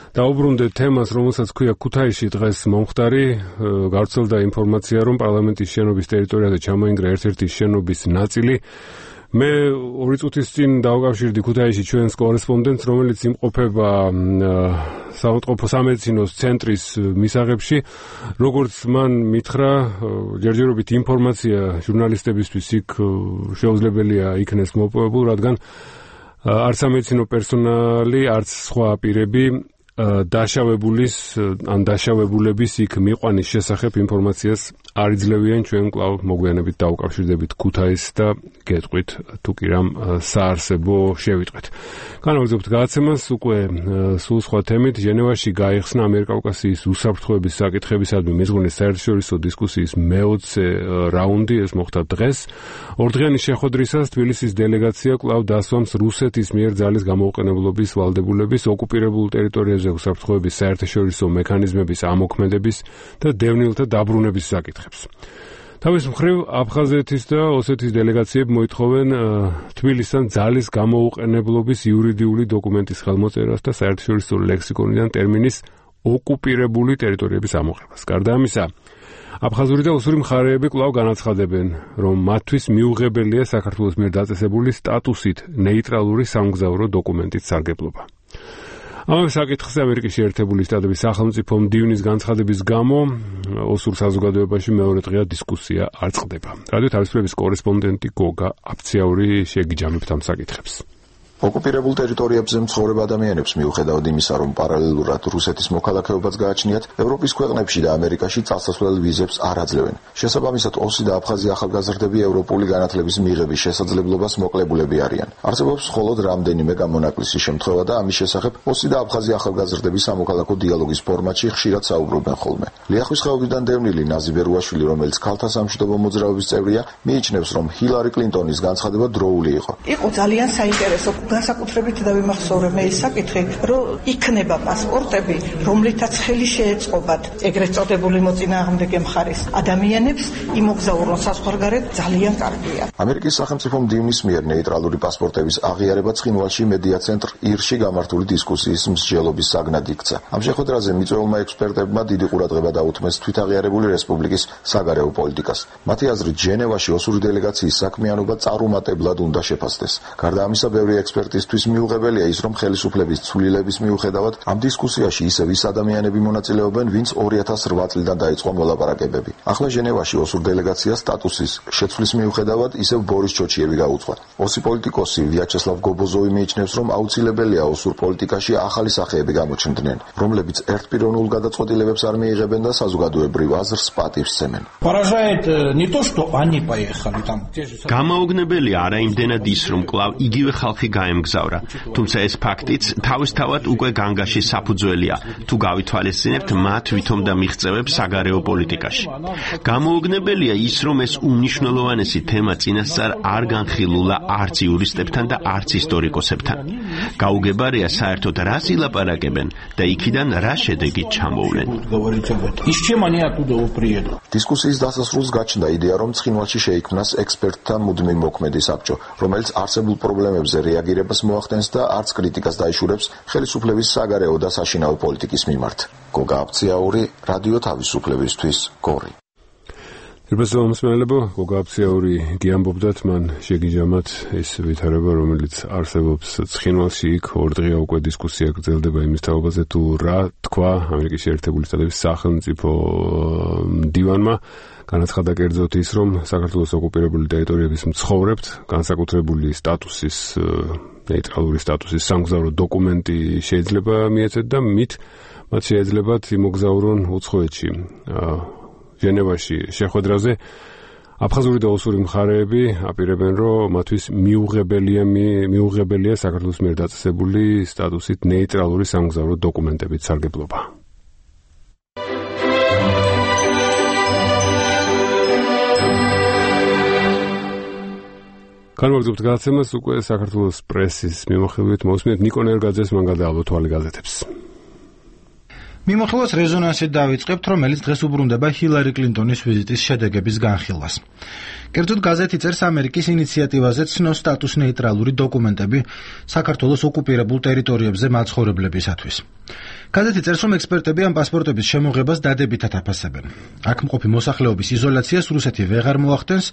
დაუბრუნდეთ თემას, რომელსაც ქვია ქუთაისში დღეს მომხდარი. გავრცელდა ინფორმაცია, რომ პარლამენტის შენობის ტერიტორიაზე ჩამოინგრა ერთ-ერთი შენობის ნაწილი. მე ორი წუთის წინ დავკავშირდი ქუთაისში ჩვენს კორესპონდენტს, რომელიც იმყოფება საავადმყოფო სამედიცინოს ცენტრის მისაღებში. როგორც მან მითხრა, ჯერჯერობით ინფორმაცია ჟურნალისტებისთვის იქ შეუძლებელია იქნეს მოპოვებულ, რადგან არც სამედიცინო პერსონალი, არც სხვა პირები დაშავებულის ან დაშავებულების იქ მიყვანის შესახებ ინფორმაციას არ იძლევიან. ჩვენ კვლავ მოგვიანებით დავკავშირდებით ქუთაისს და გეტყვით თუ კი რამ საარსებო შევიტყვეთ. განვაგრძობთ გადაცემას უკვე სულ სხვა თემით. ჟენევაში გაიხსნა ამიერკავკასიის უსაფრთხოების საკითხებისადმი მეზღვანის საერთაშორისო დისკუსიის მეოცე რაუნდი. ეს მოხდა დღეს. ორდღიანი შეხვედრისას თბილისის დელეგაცია კვლავ დასვამს რუსეთის მიერ ძალის გამოუყენებლობის ვალდებულების, ოკუპირებულ ტერიტორიებზე უსაფრთხოების საერთაშორისო მექანიზმების ამოქმედების და დევნილთა დაბრუნების საკითხებს. თავის მხრივ აფხაზეთის და ოსეთის დელეგაციები მოითხოვენ თბილისთან ძალის გამოუყენებლობის იურიდიული დოკუმენტის ხელმოწერას და საერთაშორისო ლექსიკონიდან ტერმინის ოკუპირებული ტერიტორიების ამოღებას. გარდა ამისა, აფხაზური და ოსური მხარეები კვლავ განაცხადებენ, რომ მათთვის მიუღებელია საქართველოს მიერ დაწესებული სტატუსით ნეიტრალური სამგზავრო დოკუმენტის სარგებლობა. ამავე საკითხზე ამერიკის შეერთებული შტატების სახელმწიფო მდივნის განცხადების გამო ოსურ საზოგადოებაში მეორე დღეა დისკუსია არ წყდება. რადიო თავისუფლების კორესპონდენტი გოგა აფციაური შეგიჯამებთ ამ საკითხებს. ოკუპირებულ ტერიტორიებზე მცხოვრებ ადამიანებს მიუხედავად იმისა, რომ პარალელურად რუსეთის მოქალაქეობაც გააჩნიათ, ევროპის ქვეყნებში და ამერიკაში წასასვლელ ვიზებს არ აძლევენ. შესაბამისად, ოსი და აფხაზი ახალგაზრდები ევროპული განათლების მიღების შესაძლებლობას მოკლებულები არიან. არსებობს მხოლოდ რამდენიმე გამონაკლისი შემთხვევა და ამის შესახებ ოსი და აფხაზი ახალგაზრდები სამოქალაქო დიალოგის ფორმატში ხშირად საუბრობენ ხოლმე. ლიახვის ხეობიდან დევნილი ნაზი ბერუაშვილი, რომელიც ქალთა სამშვიდობო მოძრაობის წევრია, მიიჩნევს, რომ ჰილარი კლინტონის განცხადება დროული იყო. იყო ძალიან საინტერესო. განსაკუთრებით დავიმახსოვრე მე ის საკითხი, რომ იქნება პასპორტები, რომლითაც ხელი შეეწყობათ ეგრეთ წოდებული მოწინააღმდეგე მხარის ადამიანებს იმოგზაურონ საზღვარგარეთ ძალიან კარგია. ამერიკის სახელმწიფო მდივნის მიერ ნეიტრალური პასპორტების აღიარება ცხინვალში მედია ცენტრ ირში გამართული დისკუსიის მსჯელობის საგნად იქცა. ამ შეხვედრაზე მიწვეულმა ექსპერტებმა დიდი ყურადღება დაუთმეს თვითაღიარებული რესპუბლიკის საგარეო პოლიტიკას. მათი აზრით, ჟენევაში ოსური დელეგაციის საქმიანობა წარუმატებლად უნდა შეფასდეს. გარდა ამისა, ბევრი ექსპერტისთვის მიუღებელია ის, რომ ხელისუფლების ცვლილების მიუხედავად ამ დისკუსიაში ისევ ის ადამიანები მონაწილეობენ, ვინც ორი ათას რვა წლიდან დაიწყო მოლაპარაკებები. ახლა ჟენევაში ოსურ დელეგაციას სტატუსის შეცვლის მიუხედავად ისევ ბორის ჩოჩიევი გაუძღვა. ოსი პოლიტიკოსი ვიაჩესლავ გობოზოვი მიიჩნევს, რომ აუცილებელია ოსურ პოლიტიკაში ახალი სახეები გამოჩნდნენ, რომლებიც ერთპიროვნულ გადაწყვეტილებებს არ მიიღებენ და საზოგადოებრივ აზრს პატივს სცემენ. გამაოგნებელია არა იმდენად ის, რომ კვლავ იგივე ხალხი გაემგზავრა, თუმცა ეს ფაქტიც თავისთავად უკვე განგაში საფუძველია, თუ გავითვალისწინებთ მათ ვითომ და მიღწევებს საგარეო პოლიტიკაში. გამოუგნებელია ის, რომ ეს უმნიშვნელოვანესი თემა წინასწარ არ განხილულა არც იურისტებთან და არც ისტორიკოსებთან. გაუგებარია საერთოდ რას ილაპარაკებენ და იქიდან რა შედეგი ჩამოვლენ. დისკუსიის დასასრულს გაჩნდა იდეა, რომ ცხინვალში შეიქმნას ექსპერტთა მუდმივ მოქმედი საბჭო, რომელიც არსებულ პრობლემებზე რეაგირებას მოახდენს და არც კრიტიკას დაიშურებს ხელისუფლების საგარეო და საშინაო პოლიტიკის მიმართ. გოგა აფციაური, რადიო თავისუფლებისთვის, გორი. Ირბესო მსმენელებო, გოგა აფციაური გიამბობდათ, მან შეგიჯამათ ეს ვითარება, რომელიც არსებობს ცხინვალში. იქ ორდღია უკვე დისკუსია გრძელდება იმის თაობაზე, თუ რა თქვა ამერიკის შეერთებული შტატების სახელმწიფო მდივანმა. განაცხადა კერძოდ ის, რომ საქართველოს ოკუპირებული ტერიტორიების მცხოვრებთ განსაკუთრებული სტატუსის ნეიტრალური სტატუსის სამგზავრო დოკუმენტი შეიძლება მიეცეთ და მით მათ შეიძლებათ იმოგზაურონ უცხოეთში. ჟენევაში შეხვედრაზე აფხაზური და ოსური მხარეები აპირებენ, რომ მათთვის მიუღებელია მიუღებელია საქართველოს მიერ დაწესებული სტატუსით ნეიტრალური სამგზავრო დოკუმენტებით სარგებლობა. განმაგზავნებთ გადაცემას უკვე საქართველოს პრესის მიმოხილვით მოვსმინეთ ნიკო ნერგაძეს, მან გადაალო თვალი გაზეთებს. მიმოხილვას რეზონანსით დავიწყებთ, რომელიც დღეს უბრუნდება ჰილარი კლინტონის ვიზიტის შედეგების განხილვას. კერძოდ გაზეთი წერს, ამერიკის ინიციატივაზე ცნობს სტატუს ნეიტრალური დოკუმენტები საქართველოს ოკუპირებულ ტერიტორიებზე მაცხოვრებლებისათვის. გაზეთი წერს, რომ ექსპერტები ამ პასპორტების შემოღებას დადებითად აფასებენ. აქ მყოფი მოსახლეობის იზოლაციას რუსეთი ვეღარ მოახდენს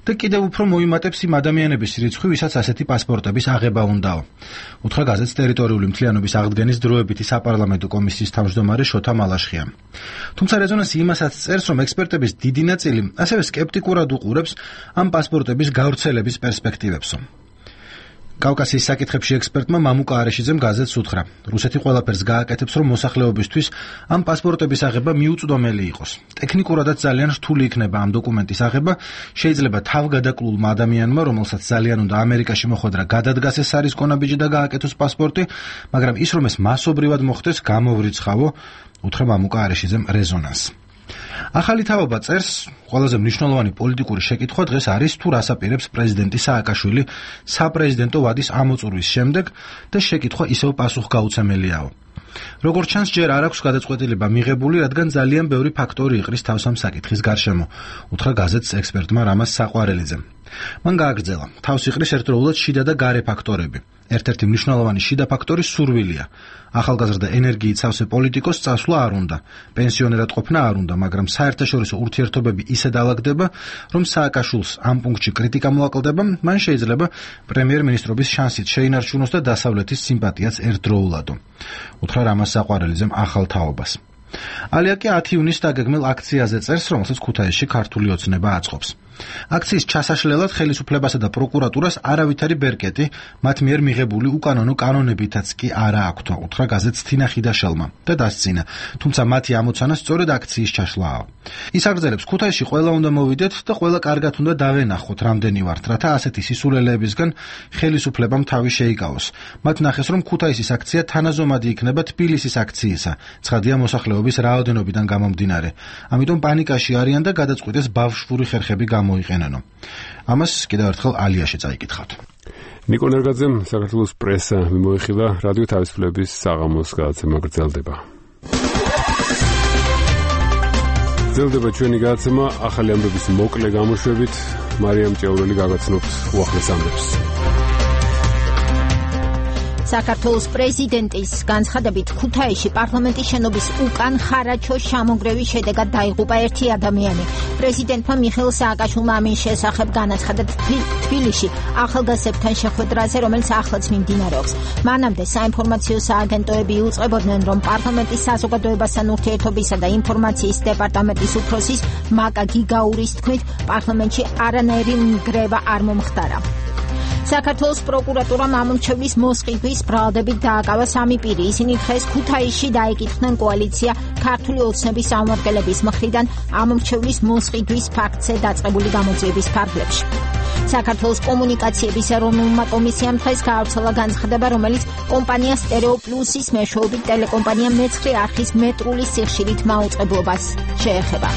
და კიდევ უფრო მოიმატებს იმ ადამიანების რიცხვი, ვისაც ასეთი პასპორტების აღება უნდაო. უთხრა გაზეთს ტერიტორიული მთლიანობის აღდგენის დროებითი საპარლამენტო კომისიის თავმჯდომარე შოთა მალაშხიამ. თუმცა რეზონანსი იმასაც წერს, რომ ექსპერტების დიდი ნაწილი ასევე სკეპტიკურად უყურებს ამ პასპორტების გავრცელების პერსპექტივებსო. კავკასიის საკითხებში ექსპერტმა მამუკა არეშიძემ გაზეთს უთხრა, რუსეთი ყველაფერს გააკეთებს, რომ მოსახლეობისთვის ამ პასპორტების აღება მიუწვდომელი იყოს. ტექნიკურადაც ძალიან რთული იქნება ამ დოკუმენტის აღება, შეიძლება თავგადაკლულმა ადამიანმა, რომელსაც ძალიან უნდა ამერიკაში მოხვედრა, გადადგას ეს არის კონაბიჯი და გააკეთოს პასპორტი, მაგრამ ის რომ ეს მასობრივად მოხდეს, გამოვრიცხავო, უთხრა მამუკა არეშიძემ რეზონანსს. ახალი თავობა წერს, ყველაზე მნიშვნელოვანი პოლიტიკური შეკითხვა დღეს არის, თუ რას აპირებს პრეზიდენტი სააკაშვილი საპრეზიდენტო ვადის ამოწურვის შემდეგ და შეკითხვა ისევ პასუხგაუცემელიაო. როგორც ჩანს, ჯერ არ აქვს გადაწყვეტილება მიღებული, რადგან ძალიან ბევრი ფაქტორი იყრის თავს ამ საკითხის გარშემო, უთხრა გაზეთს ექსპერტმა რამაზ საყვარელიძემ. მან გააგრძელა, თავს იყრის ერთდროულად შიდა და გარე ფაქტორები. ერთ-ერთი მნიშვნელოვანი შიდა ფაქტორი სურვილია. ახალგაზრდა ენერგიით სავსე პოლიტიკოს წასვლა არ უნდა, პენსიონერად ყოფნა არ უნდა, მაგრამ საერთაშორისო ურთიერთობები ისე დაალაგდება, რომ სააკაშვილს ამ პუნქტში კრიტიკა მოაკლდება, მან შეიძლება პრემიერ-მინისტრობის შანსით შეინარჩუნოს და დასავლეთის სიმპათიაც ერთდროულადო. უთხრა რამაზ საყვარელიძემ ახალ თაობას. ალიაკი ათი ივნისს დაგეგმილ აქციაზე წერს, რომელსაც ქუთაისში ქართული ოცნება აწყობს. აქციის ჩასაშლელად ხელისუფლებასა და პროკურატურას არავითარი ბერკეტი მათ მიერ მიღებული უკანონო კანონებითაც კი არა აქვთ, უთხრა გაზეთს თინა ხიდაშელმა და დასცინა, თუმცა მათი ამოცანა სწორედ აქციის ჩაშლაა. ის აგრძელებს, ქუთაისში ყველა უნდა მოვიდეთ და ყველა კარგად უნდა დავენახოთ, რამდენი ვართ, რათა ასეთი სისულელეებისგან ხელისუფლებამ თავი შეიკავოს. მათ ნახეს, რომ ქუთაისის აქცია თანაზომადი იქნება თბილისის აქციისა, ცხადია მოსახლეობის რაოდენობიდან გამომდინარე. ამიტომ პანიკაში არიან და გადაწყვიტეს ბავშვური ხერხები გამოიყენენო. ამას კიდევ ერთხელ ალიაში წაიკითხავთ. ნიკო ნერგაძემ საქართველოს პრესა მიმოიხილა, რადიო თავისუფლების საღამოს გადაცემა გრძელდება. გრძელდება ჩვენი გადაცემა ახალი ამბების მოკლე გამოშვებით. მარიამ ჭეურელი გაგაცნობთ უახლეს ამბებს. საქართველოს პრეზიდენტის განცხადებით ქუთაისში პარლამენტის შენობის უკან ხარაჩოს შემოგრევის შედეგად დაიღუპა ერთი ადამიანი. პრეზიდენტმა მიხეილ სააკაშვილმა ამის შესახებ განაცხადა თბილისში ახალგაზრდებთან შეხვედრაზე, რომელიც ახლაც მიმდინარეობს. მანამდე საინფორმაციო სააგენტოები იუწყებოდნენ, რომ პარლამენტის საზოგადოებასთან ურთიერთობისა და ინფორმაციის დეპარტამენტის უფროსის მაკა გიგაურის თქმით, პარლამენტში არანაირი ნგრევა არ მომხდარა. საქართველოს პროკურატურამ ამორჩევლის მოსყიდვის ბრალდებით დააკავა სამი პირი. ისინი დღეს ქუთაისში დაეკითხნენ კოალიცია ქართული ოცნების წარმომადგენლების მხრიდან ამორჩევლის მოსყიდვის ფაქტზე დაწყებული გამოძიების ფარგლებში. საქართველოს კომუნიკაციების ეროვნულმა კომისიამ დღეს გაავრცელა განცხადება, რომელიც კომპანია სტერეო პლუსის მეშვეობით ტელეკომპანია მეცხრე არხის მეტრული სიხშირით მაუწყებლობას შეეხება.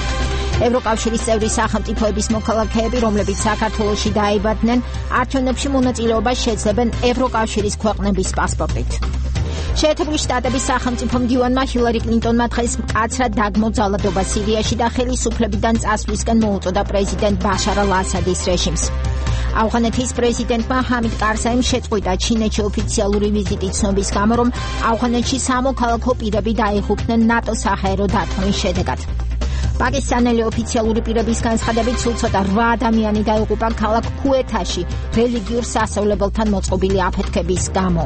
ევროკავშირის წევრი სახელმწიფოების მოქალაქეები, რომლებიც საქართველოში დაიბადნენ, არჩევნებში მონაწილეობას შეძლებენ ევროკავშირის ქვეყნების პასპორტით. შეერთებული შტატების სახელმწიფო მდივანმა ჰილარი კლინტონმა დღეს მკაცრად დაგმოძალადობა სირიაში და ხელისუფლებიდან წასვლისკენ მოუწოდა პრეზიდენტ ბაშარ ალ-ასადის რეჟიმს. ავღანეთის პრეზიდენტმა ჰამიდ კარზაიმ შეწყვიტა ჩინეთში ოფიციალური ვიზიტი ცნობის გამო, რომ ავღანეთში სამოქალაქო პირები დაიღუპნენ ნატოს საჰაერო დარტყმის შედეგად. პაკისტანელი ოფიციალური პირების განცხადებით სულ ცოტა რვა ადამიანი დაიღუპა ქალაქ ქუეთაში რელიგიურ სასწავლებელთან მოწყობილი აფეთქების გამო.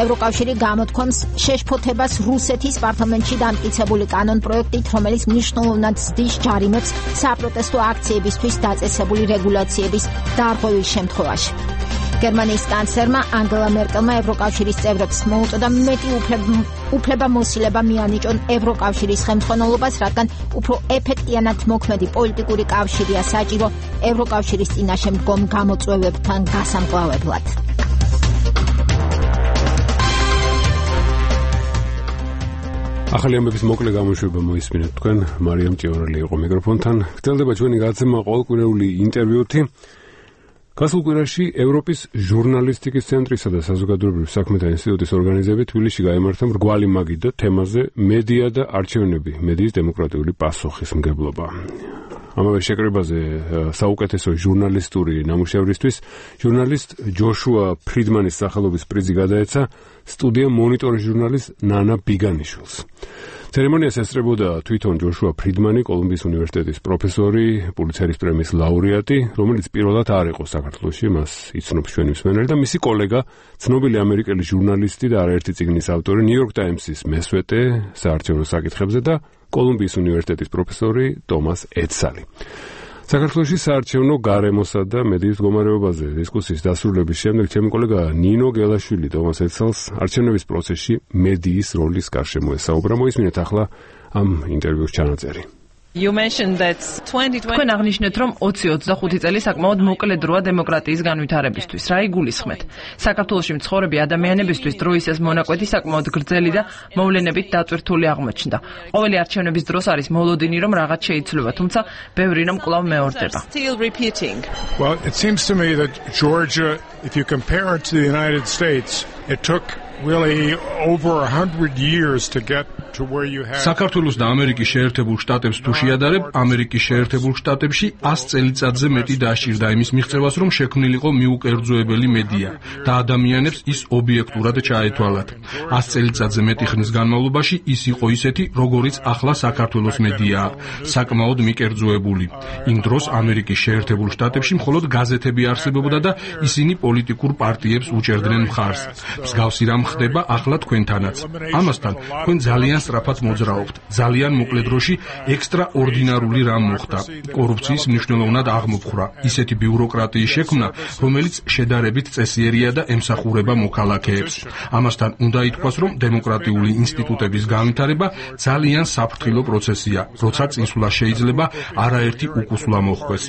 ევროკავშირი გამოთქვამს შეშფოთებას რუსეთის პარლამენტში დამტკიცებული კანონპროექტით, რომელიც მნიშვნელოვნად ზრდის ჯარიმებს საპროტესტო აქციებისთვის დაწესებული რეგულაციების დარღვევის შემთხვევაში. გერმანიის კანცლერმა ანგელა მერკელმა ევროკავშირის წევრებს მოუწოდა მეტი უფლება მოსილება მიანიჭონ ევროკავშირის ხელმძღვანელობას, რადგან უფრო ეფექტიანად მოქმედი პოლიტიკური კავშირია საჭირო ევროკავშირის წინაშე მდგომ გამოწვევებთან გასამკლავებლად. ახალი ამბების მოკლე გამოშვება მოისმინეთ თქვენ, მარიამ ჭიორელი იყო მიკროფონთან. გრძელდება ჩვენი გადაცემა ყოველკვირეული ინტერვიუთი. გასულ კვირაში ევროპის ჟურნალისტიკის ცენტრისა და საზოგადოებრივ საქმეთა ინსტიტუტის ორგანიზებით თბილისში გაიმართა მრგვალი მაგიდა თემაზე მედია და არჩევნები, მედიის დემოკრატიული პასუხისმგებლობა. ამავე შეკრებაზე საუკეთესო ჟურნალისტური ნამუშევრისთვის ჟურნალისტ ჯოშუა ფრიდმანის სახელობის პრიზი გადაეცა სტუდია მონიტორის ჟურნალის ნანა ბიგანიშვილს. ცერემონიას ესწრებოდა თვითონ ჯოშუა ფრიდმანი, კოლუმბიის უნივერსიტეტის პროფესორი, პულიცერის პრემიის ლაურეატი, რომელიც პირველად არ იყო საქართველოში, მას იცნობს ჩვენი მსმენელი და მისი კოლეგა, ცნობილი ამერიკელი ჟურნალისტი და არაერთი წიგნის ავტორი, ნიუ-იორკ ტაიმსის მესვეტე საარჩევნო საკითხებზე და კოლუმბიის უნივერსიტეტის პროფესორი ტომას ეცალი. საქართველოში საარჩევნო გარემოსა და მედიის მდგომარეობაზე დისკუსიის დასრულების შემდეგ ჩემი კოლეგა ნინო გელაშვილი ტომას ეცალს არჩევნების პროცესში მედიის როლის გარშემო ესაუბრა. მოისმინეთ ახლა ამ ინტერვიუს ჩანაწერი. თქვენ აღნიშნეთ, რომ ოცი ოცდახუთი წელი საკმაოდ მოკლე დროა დემოკრატიის განვითარებისთვის. რა იგულისხმეთ? საქართველოში მცხოვრები ადამიანებისთვის დროის ეს მონაკვეთი საკმაოდ გრძელი და მოვლენებით დატვირთული აღმოჩნდა. ყოველი არჩევნების დროს არის მოლოდინი, რომ რაღაც შეიცვლება, თუმცა ბევრი რამ კვლავ მეორდება. Well, it seems to me that Georgia, if you compare it to the United States, it took really over a hundred years to get to where you have. საქართველოს და ამერიკის შეერთებულ შტატებს თუ შეადარებ, ამერიკის შეერთებულ შტატებში ას წელიწადზე მეტი დასჭირდა იმის მიღწევას, რომ შექმნილიყო მიუკერძოებელი მედია და ადამიანებს ის ობიექტურად ჩაეთვალათ. ას წელიწადზე მეტი ხნის განმავლობაში ის იყო ისეთი, როგორიც ახლა საქართველოს მედიაა, საკმაოდ მიკერძოებული. იმ დროს ამერიკის შეერთებულ შტატებში მხოლოდ გაზეთები არსებობდა და ისინი პოლიტიკურ პარტიებს უჭერდნენ მხარს. მსგავსი რამ ხდება ახლა თქვენთანაც. ამასთან თქვენ ძალიან სწრაფად მოძრაობთ. ძალიან მოკლე დროში ექსტრაორდინარული რამ მოხდა. კორუფციის მნიშვნელოვნად აღმოფხვრა. ისეთი ბიუროკრატიის შექმნა, რომელიც შედარებით წესიერია და ემსახურება მოქალაქეებს. ამასთან უნდა ითქვას, რომ დემოკრატიული ინსტიტუტების განვითარება ძალიან საფრთხილო პროცესია, როცა წინსვლა შეიძლება არაერთი უკუსვლა მოხდეს.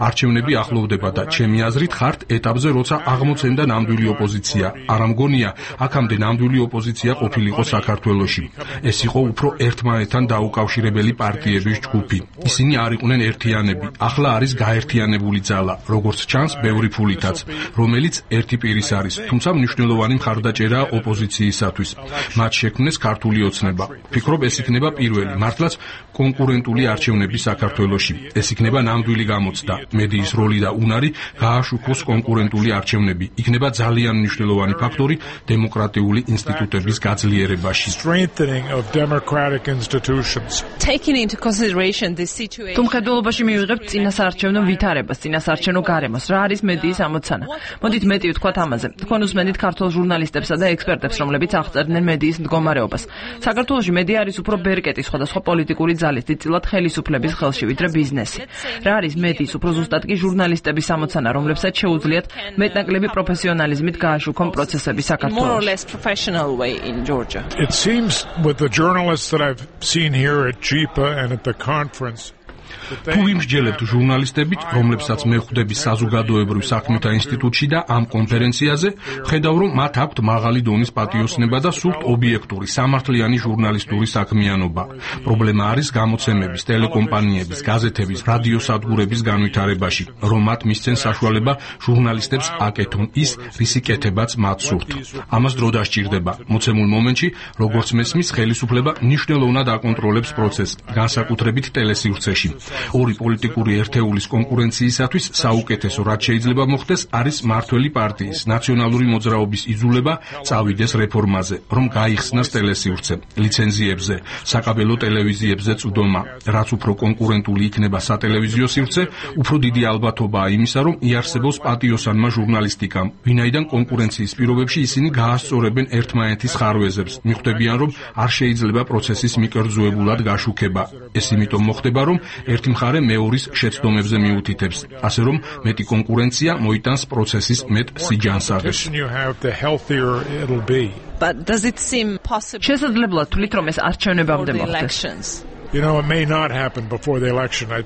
არჩევნები ახლოვდება და ჩემი აზრით ხართ ეტაპზე, როცა აღმოცენდა ნამდვილი ოპოზიცია. არ ამგონია, აქამდე ნამდვილი ოპოზიცია ყოფილიყო საქართველოში. ეს იყო უფრო ერთმანეთთან დაუკავშირებელი პარტიების ჯგუფი. ისინი არ იყვნენ ერთიანები. ახლა არის გაერთიანებული ძალა, როგორც ჩანს, ბევრი ფულითაც, რომელიც ერთი პირის არის, თუმცა მნიშვნელოვანი მხარდაჭერაა ოპოზიციისათვის. მათ შექმნეს ქართული ოცნება. ვფიქრობ, ეს იქნება პირველი, მართლაც კონკურენტული არჩევნები საქართველოში. ეს იქნება ნამდვილი გამოცდა. მედიის როლი და უნარი გააშუქოს კონკურენტული არჩევნები. იქნება ძალიან მნიშვნელოვანი ფაქტორი დემოკრატიული ინსტიტუტების გაძლიერებაში. თუ მხედველობაში მივიღებთ წინასაარჩევნო ვითარებას, წინასაარჩევნო გარემოს, რა არის მედიის ამოცანა? მოდით მეტი ვთქვათ ამაზე. თქვენ უსმენთ ქართულ ჟურნალისტებსა და ექსპერტებს, რომლებიც აღწერდნენ მედიის მდგომარეობას. საქართველოში მედია არის უფრო ბერკეტი სხვადასხვა პოლიტიკური ძალის დიდწილად ხელისუფლების ხელში, ვიდრე ბიზნესი. რა არის მედიის უფრო ზუსტად კი ჟურნალისტების ამოცანა, რომლებსაც შეუძლიათ მეტნაკლები პროფესიონალიზმით გააშუქონ პროცესები საქართველოში. It seems with the journalists that I've seen here at G I P A and at the conference თუ ვიმსჯელებთ ჟურნალისტებით, რომლებსაც მე ხვდები საზოგადოებრივ საქმეთა ინსტიტუტში და ამ კონფერენციაზე, ხედავ, რომ მათ აქვთ მაღალი დონის პატიოსნება და სულთ ობიექტური, სამართლიანი ჟურნალისტური საქმიანობა. პრობლემა არის გამოცემების, ტელეკომპანიების, გაზეთების, რადიოსადგურების განვითარებაში, რომ მათ მისცენ საშუალება ჟურნალისტებს აკეთონ ის, რისი კეთებაც მათ სურთ. ამას დრო დასჭირდება. მოცემულ მომენტში, როგორც მესმის, ხელისუფლება მნიშვნელოვნად აკონტროლებს პროცესს, განსაკუთრებით ტელესივრცეში. ორი პოლიტიკური ერთეულის კონკურენციისათვის საუკეთესო, რაც შეიძლება მოხდეს, არის მართველი პარტიის ნაციონალური მოძრაობის იძულება წავიდეს რეფორმაზე, რომ გაიხსნას ტელესივრცე, ლიცენზიებზე, საკაბელო ტელევიზიებზე წვდომა. რაც უფრო კონკურენტული იქნება სატელევიზიო სივრცე, უფრო დიდი ალბათობაა იმისა, რომ იარსებობს პატიოსანმა ჟურნალისტიკამ, ვინაიდან კონკურენციის პირობებში ისინი გაასწორებენ ერთმანეთის ხარვეზებს, მიხვდებიან, რომ არ შეიძლება პროცესის მიკერძოებულად გაშუქება. ეს იმიტომ მოხდება, რომ ერთი მხარე მეორის შეცდომებზე მიუთითებს, ასე რომ მეტი კონკურენცია მოიტანს პროცესის მეტ სიჯანსაღეს. შესაძლებლად თვლით, რომ ეს არჩევნებამდე მოხდეს? You know, it may not happen before the election. I,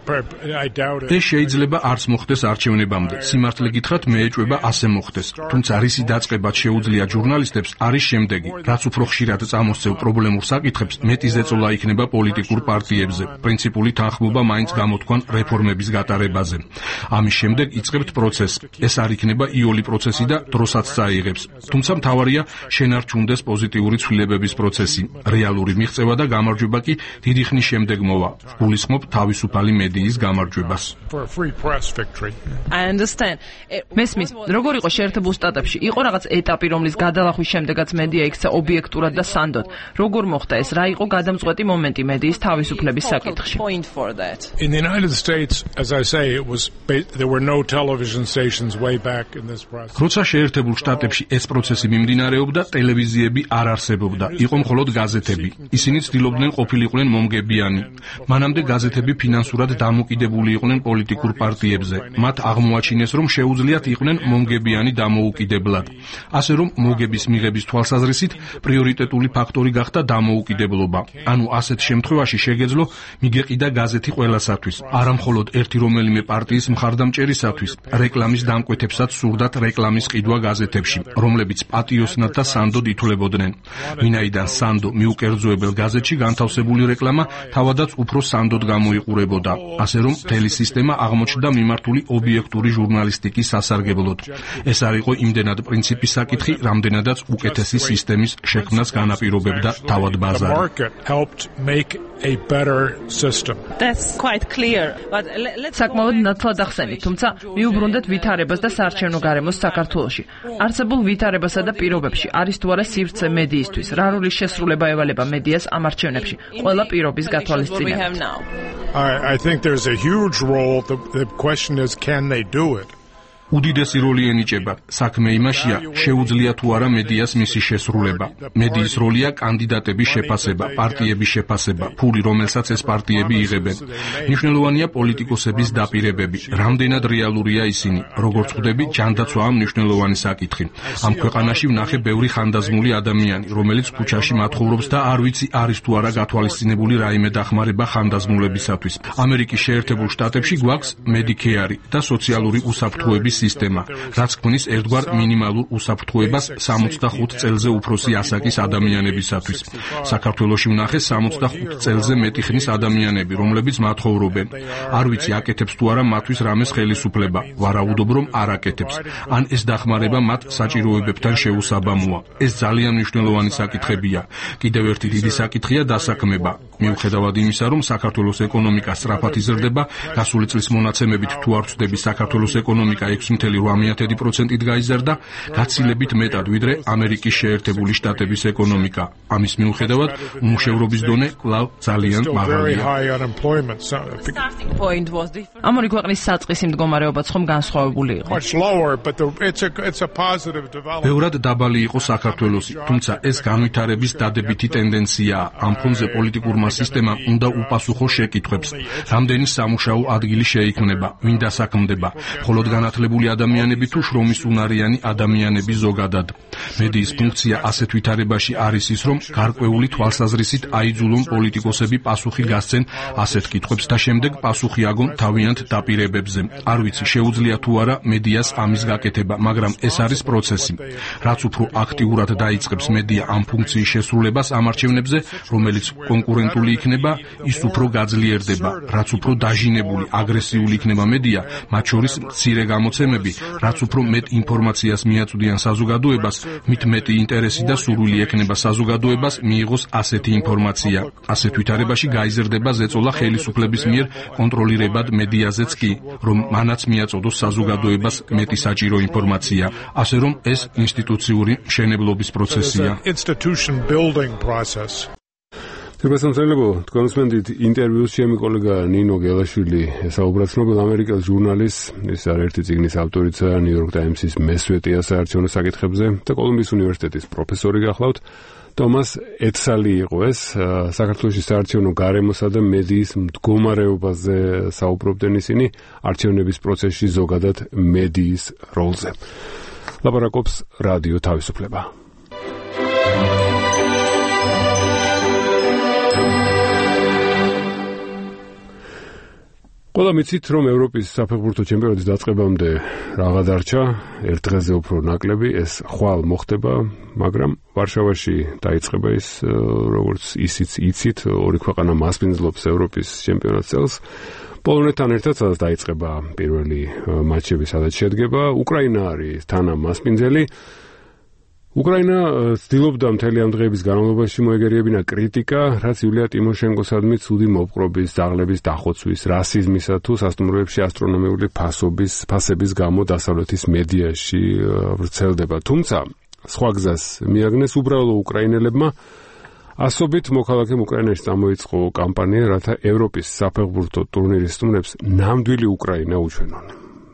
I doubt it. ეს შეიძლება არც მოხდეს არჩევნებამდე. სიმართლე გითხრათ, მე ეჭვება ასე მოხდეს. თუმცა რისი დაწყებაც შეუძლია ჟურნალისტებს არის შემდეგი: რაც უფრო ხშირად წამოსწევ პრობლემურ საკითხებს, მეტი ზეწოლა იქნება პოლიტიკურ პარტიებზე. პრინციპული თანხმობა მაინც გამოთქვან რეფორმების გატარებაზე. ამის შემდეგ იწყებთ პროცესს. ეს არ იქნება იოლი პროცესი და დროსაც წაიღებს. თუმცა მთავარია შენარჩუნდეს პოზიტიური ცვლილებების პროცესი. რეალური მიღწევა და გამარჯვება კი დიდი ხნის შემდეგ მოვა. გულისხმობ თავისუფალი მედიის გამარჯვებას. მესმის, როგორ იყო შეერთებულ შტატებში? იყო რაღაც ეტაპი, რომლის გადალახვის შემდეგაც მედია იქცა ობიექტურად და სანდოდ. როგორ მოხდა ეს? რა იყო გადამწყვეტი მომენტი მედიის თავისუფლების საკითხში? In the United States, as I say, it was there were no television stations way back in this process. როცა შეერთებულ შტატებში ეს პროცესი მიმდინარეობდა, ტელევიზიები არ არსებობდა. იყო მხოლოდ გაზეთები. ისინი ცდილობდნენ ყოფილიყვნენ მომგებიანი. მანამდე გაზეთები ფინანსურად დამოკიდებული იყვნენ პოლიტიკურ პარტიებზე. მათ აღმოაჩინეს, რომ შეუძლიათ იყვნენ მომგებიანი დამოუკიდებლად. ასე რომ მოგების მიღების თვალსაზრისით პრიორიტეტული ფაქტორი გახდა დამოუკიდებლობა. ანუ ასეთ შემთხვევაში შეგეძლო მიგეყიდა გაზეთი ყველასათვის, არა მხოლოდ ერთი რომელიმე პარტიის მხარდამჭერისათვის. რეკლამის დამკვეთებსაც სურდათ რეკლამის ყიდვა გაზეთებში, რომლებიც პატიოსნად და სანდოდ ითვლებოდნენ. ვინაიდან სანდო მიუკერძოებელ გაზეთში განთავსებული რეკლამა თავადაც უფრო სანდოდ გამოიყურებოდა, ასე რომ მთელი სისტემა აღმოჩნდა მიმართული ობიექტური ჟურნალისტიკის სასარგებლოდ. ეს არ იყო იმდენად პრინციპის საკითხი, რამდენადაც უკეთესი სისტემის შექმნას განაპირობებდა თავად ბაზარი. საკმაოდ ნათლად ახსენით, თუმცა მიუბრუნდეთ ვითარებას და საარჩევნო გარემოს საქართველოში. არსებულ ვითარებასა და პირობებში არის თუ არა სივრცე მედიისთვის? რა როლის შესრულება ევალება მედიას ამ არჩევნებში? ყველა პირობის გათვალისწინებით. I, I think there's a huge role. The, the question is, can they do it? უდიდესი როლი ენიჭება. საქმე იმაშია, შეუძლია თუ არა მედიას მისი შესრულება. მედიის როლია კანდიდატების შეფასება, პარტიების შეფასება, ფული, რომელსაც ეს პარტიები იღებენ. მნიშვნელოვანია პოლიტიკოსების დაპირებები, რამდენად რეალურია ისინი. როგორც ხვდები, ჯანდაცვაა მნიშვნელოვანი საკითხი. ამ ქვეყანაში ვნახე ბევრი ხანდაზმული ადამიანი, რომელიც ქუჩაში მათხოვრობს და არ ვიცი არის თუ არა გათვალისწინებული რაიმე დახმარება ხანდაზმულებისათვის. ამერიკის შეერთებულ შტატებში გვაქვს მედიკეარი და სოციალური უსაფრთხოების სისტემა, რაც ქმნის ერთგვარ მინიმალურ უსაფრთხოებას სამოცდახუთ წელზე უფროსი ასაკის ადამიანებისათვის. საქართველოში ვნახე სამოცდახუთ წელზე მეტი ხნის ადამიანები, რომლებიც მათხოვრობენ. არ ვიცი აკეთებს თუ არა მათთვის რამეს ხელისუფლება, ვარაუდობ რომ არ აკეთებს. ან ეს დახმარება მათ საჭიროებებთან შეუსაბამოა. ეს ძალიან მნიშვნელოვანი საკითხებია. კიდევ ერთი დიდი საკითხია დასაქმება. მიუხედავად იმისა, რომ საქართველოს ეკონომიკა სწრაფად იზრდება, გასული წლის მონაცემებით თუ არ ვცდები, საქართველოს ეკონომიკა ექვსი წელი რვამეათი პროცენტით გაიზარდა, გაცილებით მეტად ვიდრე ამერიკის შეერთებული შტატების ეკონომიკა. ამის მიუხედავად, უმუშევრობის დონე კვლავ ძალიან მაღალია. ამ ორი ქვეყნის საწყისი მდგომარეობაც ხომ განსხვავებული იყო. ბევრად დაბალი იყო საქართველოსი, თუმცა ეს განვითარების დადებითი ტენდენციაა. ამ ფონზე პოლიტიკურმა სისტემამ უნდა უპასუხო შეკითხვებს. რამდენი სამუშაო ადგილი შეიქმნება, ვინ დასაქმდება, მხოლოდ განათლებული ადამიანები თუ შრომის უნარიანი ადამიანები ზოგადად. მედიის ფუნქცია ასეთ ვითარებაში არის ის, რომ გარკვეული თვალსაზრისით აიძულონ პოლიტიკოსები პასუხი გასცენ ასეთ კითხვებს და შემდეგ პასუხი აგონ თავიანთ დაპირებებზე. არ ვიცი შეუძლია თუ არა მედიას ამის გაკეთება, მაგრამ ეს არის პროცესი. რაც უფრო აქტიურად დაიწყებს მედია ამ ფუნქციის შესრულებას ამ არჩევნებზე, რომელიც კონკურენტული იქნება, ის უფრო გაძლიერდება. რაც უფრო დაჟინებული, აგრესიული იქნება მედია, მათ შორის მცირე გამოცემები, რაც უფრო მეტ ინფორმაციას მიაწვდიან საზოგადოებას, მით მეტი ინტერესი და სურვილი ექნება საზოგადოებას მიიღოს ასეთი ინფორმაცია. ასეთ ვითარებაში გაიზრდება ზეწოლა ხელისუფლების მიერ კონტროლირებად მედიაზეც კი, რომ მანაც მიაწოდოს საზოგადოებას მეტი საჭირო ინფორმაცია, ასე რომ ეს ინსტიტუციური მშენებლობის პროცესია. თებასამწელებო, თქვენ უსმენთ ინტერვიუს ჩემი კოლეგა ნინო გელაშვილი, ესაუბრა ცნობილ ამერიკელ ჟურნალისტს, ის არის ერთი წიგნის ავტორიცა, ნიუ-იორკ ტაიმსის მესვეტეა საარჩევნო საკითხებზე და კოლუმბიის უნივერსიტეტის პროფესორი გახლავთ. თომას ეთსალი იყო ეს, საქართველოს საარჩევნო გარემოსა და მედიის მდგომარეობაზე საუბრობდნენ ისინი არჩევნების პროცესში ზოგადად მედიის როლზე. ლაპარაკობს რადიო თავისუფლება. ყველა მიცით, რომ ევროპის საფეხბურთო ჩემპიონატის დაწყებამდე რაღა დარჩა, ერთ დღეზე უფრო ნაკლები, ეს ხვალ მოხდება, მაგრამ ვარშავაში დაიწყება ის, როგორც ისიც იცით, ორი ქვეყანა მასპინძლობს ევროპის ჩემპიონატ წელს. პოლონეთთან ერთად სადაც დაიწყება პირველი მატჩები, სადაც შედგება, უკრაინა არის თანამასპინძელი. უკრაინა ცდილობდა მთელი ამ დღეების განმავლობაში მოეგერიებინა კრიტიკა, რაც იულია ტიმოშენკოსადმი ცუდი მოპყრობის, ძაღლების დახოცვის, რასიზმისა თუ სასტუმროებში ასტრონომიული ფასობის, ფასების გამო დასავლეთის მედიაში ვრცელდება. თუმცა, სხვა გზას მიაგნეს უბრალო უკრაინელებმა, ასობით მოქალაქემ უკრაინაში წამოიწყო კამპანია, რათა ევროპის საფეხბურთო ტურნირის სტუმრებს ნამდვილი უკრაინა უჩვენონ.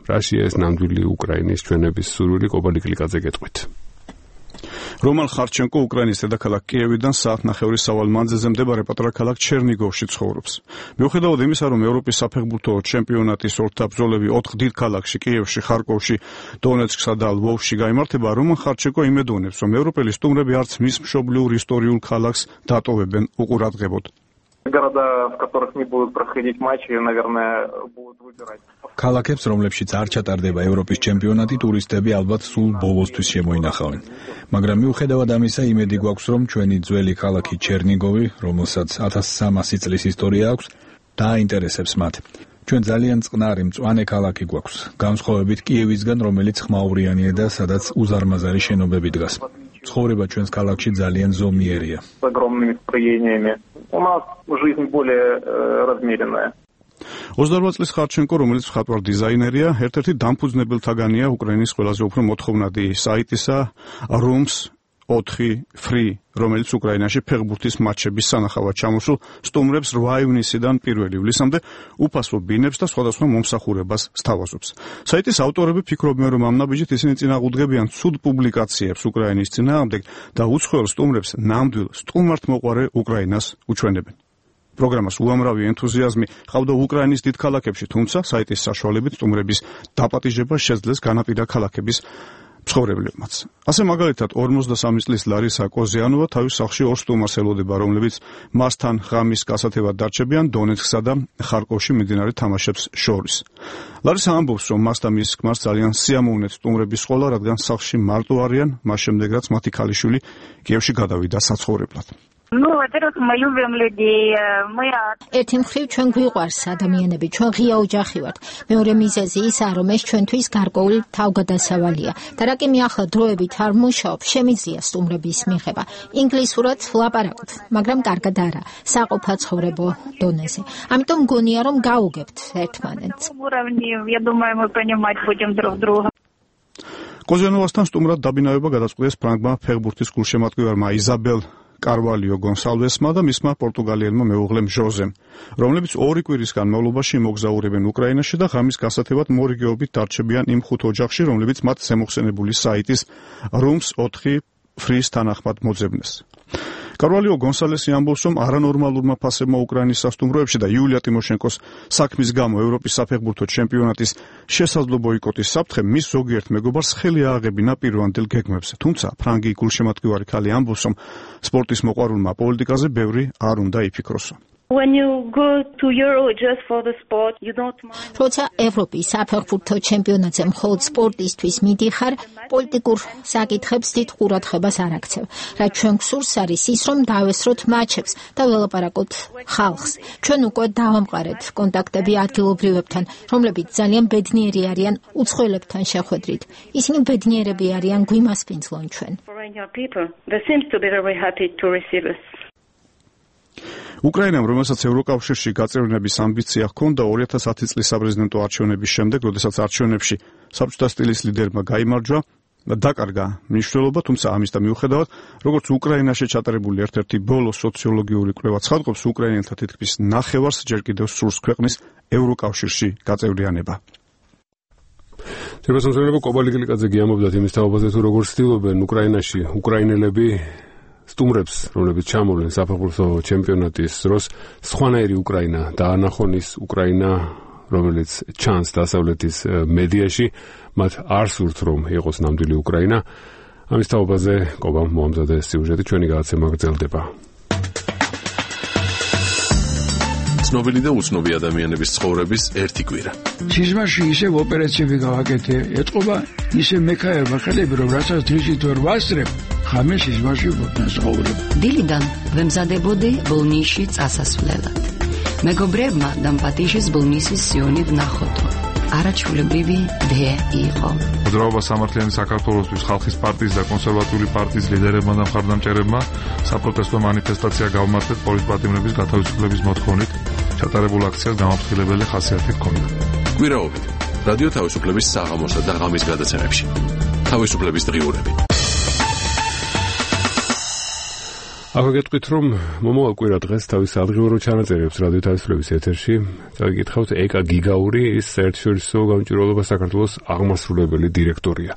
რაშია ეს ნამდვილი უკრაინის ჩვენების სურვილი? კობალი კლიკაძე გეტყვით. რომან ხარჩენკო უკრაინის დედაქალაქ კიევიდან საათნახევრის სავალ მანძილზე მდებარე პატარა ქალაქ ჩერნიგოვში ცხოვრობს. მიუხედავად იმისა, რომ ევროპის საფეხბურთო ჩემპიონატის ორთაბრძოლები ოთხ დიდ ქალაქში, კიევში, ხარკოვში, დონეცკსა და ლვოვში გაიმართება, რომან ხარჩენკო იმედოვნებს, რომ ევროპელი სტუმრები არც მის მშობლიურ ისტორიულ ქალაქს დატოვებენ უყურადღებოდ. Города, в которых не будут проходить матчи, наверное, будут выбирать. ქალაქებს, რომლებშიც არ ჩატარდება ევროპის ჩემპიონატი, ტურისტები ალბათ სულ ბოლოსთვის შემოინახავენ. მაგრამ მიუხედავად ამისა, იმედი გვაქვს, რომ ჩვენი ძველი ქალაქი ჩერნიგოვი, რომელსაც ათას სამასი წლის ისტორია აქვს, დააინტერესებს მათ. ჩვენ ძალიან წყნარი, მწვანე ქალაქი გვაქვს, განსხვავებით კიევისგან, რომელიც ხმაურიანია და სადაც უზარმაზარი შენობები დგას. ცხოვრება ჩვენს ქალაქში ძალიან ზომიერია. С огромными строениями. У нас жизнь более размеренная. ოცდაორ წლის ხარჩენკო, რომელიც მხატვარ დიზაინერია, ერთ-ერთი დამფუძნებელთაგანია უკრაინის ყველაზე უფრო მოთხოვნადი საიტისა Rooms ოთხი Free, რომელიც უკრაინაში ფეხბურთის მატჩების სანახავად ჩამოსულ სტუმრებს რვა ივნისიდან პირველი ივლისამდე უფასო ბინებს და სხვადასხვა მომსახურებას სთავაზობს. საიტის ავტორები ფიქრობენ, რომ ამ ნაბიჯით ისინი წინააღმდეგებიან ცუდ პუბლიკაციებს უკრაინის წინააღმდეგ და უცხოელ სტუმრებს ნამდვილ სტუმართმოყვარე უკრაინას უჩვენებენ. პროგრამას უამრავი ენთუზიაზმი ჰყავდა უკრაინის დიდ ქალაქებში, თუმცა საიტის საშუალებით სტუმრების დაპატიჟება შეძლეს განაპირა ქალაქების მცხოვრებლებმაც. ასე მაგალითად ორმოცდასამი წლის ლარისა კოზიანოვა თავის სახლში ორ სტუმარს ელოდება, რომლებიც მასთან ღამის გასათევად დარჩებიან დონეცკსა და ხარკოვში მიმდინარე თამაშებს შორის. ლარისა ამბობს, რომ მას და მის ქმარს ძალიან სიამოვნეთ სტუმრების სკოლა, რადგან სახლში მარტო არიან, მას შემდეგ რაც მათი ქალიშვილი კიევში გადავიდა საცხოვრებლად. Ну, во-первых, мы любим людей. Мы ერთი მხრივ ჩვენ გვიყვარს ადამიანები, ჩვენ ღია ოჯახი ვართ. მეორე მიზეზი ისაა, რომ ეს ჩვენთვის გარკვეული თავგადასავალია. და რა კი მე ახლა დროებით არ მუშაობ, შემიძლია სტუმრების მიღება. ინგლისურად ვლაპარაკობ, მაგრამ კარგად არა, საყოფაცხოვრებო დონეზე. ამიტომ მგონია, რომ გავუგებთ ერთმანეთს. Я думаю, мы понимать будем друг друга. კოზიანოვასთან სტუმრად დაბინავება გადაწყვეტეს ფრანგმა ფეხბურთის გულშემატკივარმა იზაბელ კარვალიო გონსალვესმა და მისმა პორტუგალიელმა მეუღლემ ჟოზემ, რომლებიც ორი კვირის განმავლობაში მოგზაურებენ უკრაინაში და ღამის გასათევად მორიგეობით დარჩებიან იმ ხუთ ოჯახში, რომლებიც მათ ზემოხსენებული საიტის Rooms ოთხი Free-ს თანახმად მოძებნეს. კარვალიო გონსალესი ამბობს, რომ არანორმალურმა ფასებმა უკრაინის სასტუმროებში და იულია ტიმოშენკოს საქმის გამო ევროპის საფეხბურთო ჩემპიონატის შესაძლო ბოიკოტის საფრთხე მის ზოგიერთ მეგობარს ხელი ააღებინა პირვანდელ გეგმებზე. თუმცა ფრანგი გულშემატკივარი ქალი ამბობს, რომ სპორტის მოყვარულმა პოლიტიკაზე ბევრი არ უნდა იფიქროსო. When you go to Euro just for the sport, you don't mind. როცა ევროპის საფეხბურთო ჩემპიონატზე მხოლოდ სპორტისთვის მიდიხარ, პოლიტიკურ საკითხებს დიდ ყურადღებას არ აქცევ. რაც ჩვენ გვსურს არის ის, რომ დავესროთ მატჩებს და ველაპარაკოთ ხალხს. ჩვენ უკვე დავამყარეთ კონტაქტები ადგილობრივებთან, რომლებიც ძალიან ბედნიერი არიან უცხოელებთან შეხვედრით. ისინი ბედნიერები არიან გვიმასპინძლონ ჩვენ. Foreign people, they seems to be very happy to receive us. უკრაინამ, რომელსაც ევროკავშირში გაწევრიანების ამბიცია ჰქონდა ორი ათას ათი წლის საპრეზიდენტო არჩევნების შემდეგ, როდესაც არჩევნებში საბჭოთა სტილის ლიდერმა გაიმარჯვა, დაკარგა მნიშვნელობა, თუმცა ამის და მიუხედავად, როგორც უკრაინაში ჩატარებული ერთ-ერთი ბოლო სოციოლოგიური კვლევა ცხადყოფს, უკრაინელთა თითქმის ნახევარს ჯერ კიდევ სურს ქვეყნის ევროკავშირში გაწევრიანება. შემოსავლები კობალი კლიკაძე გიამბობდათ იმის თაობაზე, თუ როგორ ცდილობენ უკრაინაში უკრაინელები სტუმრებს, რომლებიც ჩამოვლენ საფეხბურთო ჩემპიონატის დროს, სხვანაირი უკრაინა დაანახონის უკრაინა, რომელიც ჩანს დასავლეთის მედიაში, მათ არ სურთ რომ იყოს ნამდვილი უკრაინა. ამის თაობაზე კობამ მოამზადეს სიუჟეტი, ჩვენი გადაცემა გრძელდება. ცნობილი და უცნობი ადამიანების ცხოვრების ერთი კვირა. სიზმარში ისევ ოპერაციები გავაკეთე, ეთყობა ისე მექაერმა ხელები, რომ რასაც დღისით ვერ ვასწრებ, ხამე სიზმარში ვცხოვრობ. დილიდან ვემზადებოდი ბოლნისში წასასვლელად. მეგობრებმა დამპატიშის ბოლნისის სიონი ვნახოთო. არაჩვეულებრივი დე იყო. მოძრაობა სამართლიანი საქართველოსთვის ხალხის პარტიის და კონსერვატიული პარტიის ლიდერებმა და მხარდამჭერებმა საპროტესტო მანიფესტაცია გავმართეთ პოლის პატიმრების გათავისუფლების მოთხოვნით. ჩატარებულ აქციას გამაფრთხილებელი ხასიათი ჰქონდა. კვირაობით რადიო თავისუფლების საღამოსა და ღამის გადაცემებში. თავისუფლების დღიურები. ახლა გეტყვით, რომ მომავალ კვირა დღეს თავის ადგილობრივ ჩანაწერებს რადიო თავისუფლების ეთერში. წაგიკითხავთ ეკა გიგაური, ის საერთაშორისო გამჭვირვალობა საქართველოს აღმასრულებელი დირექტორია.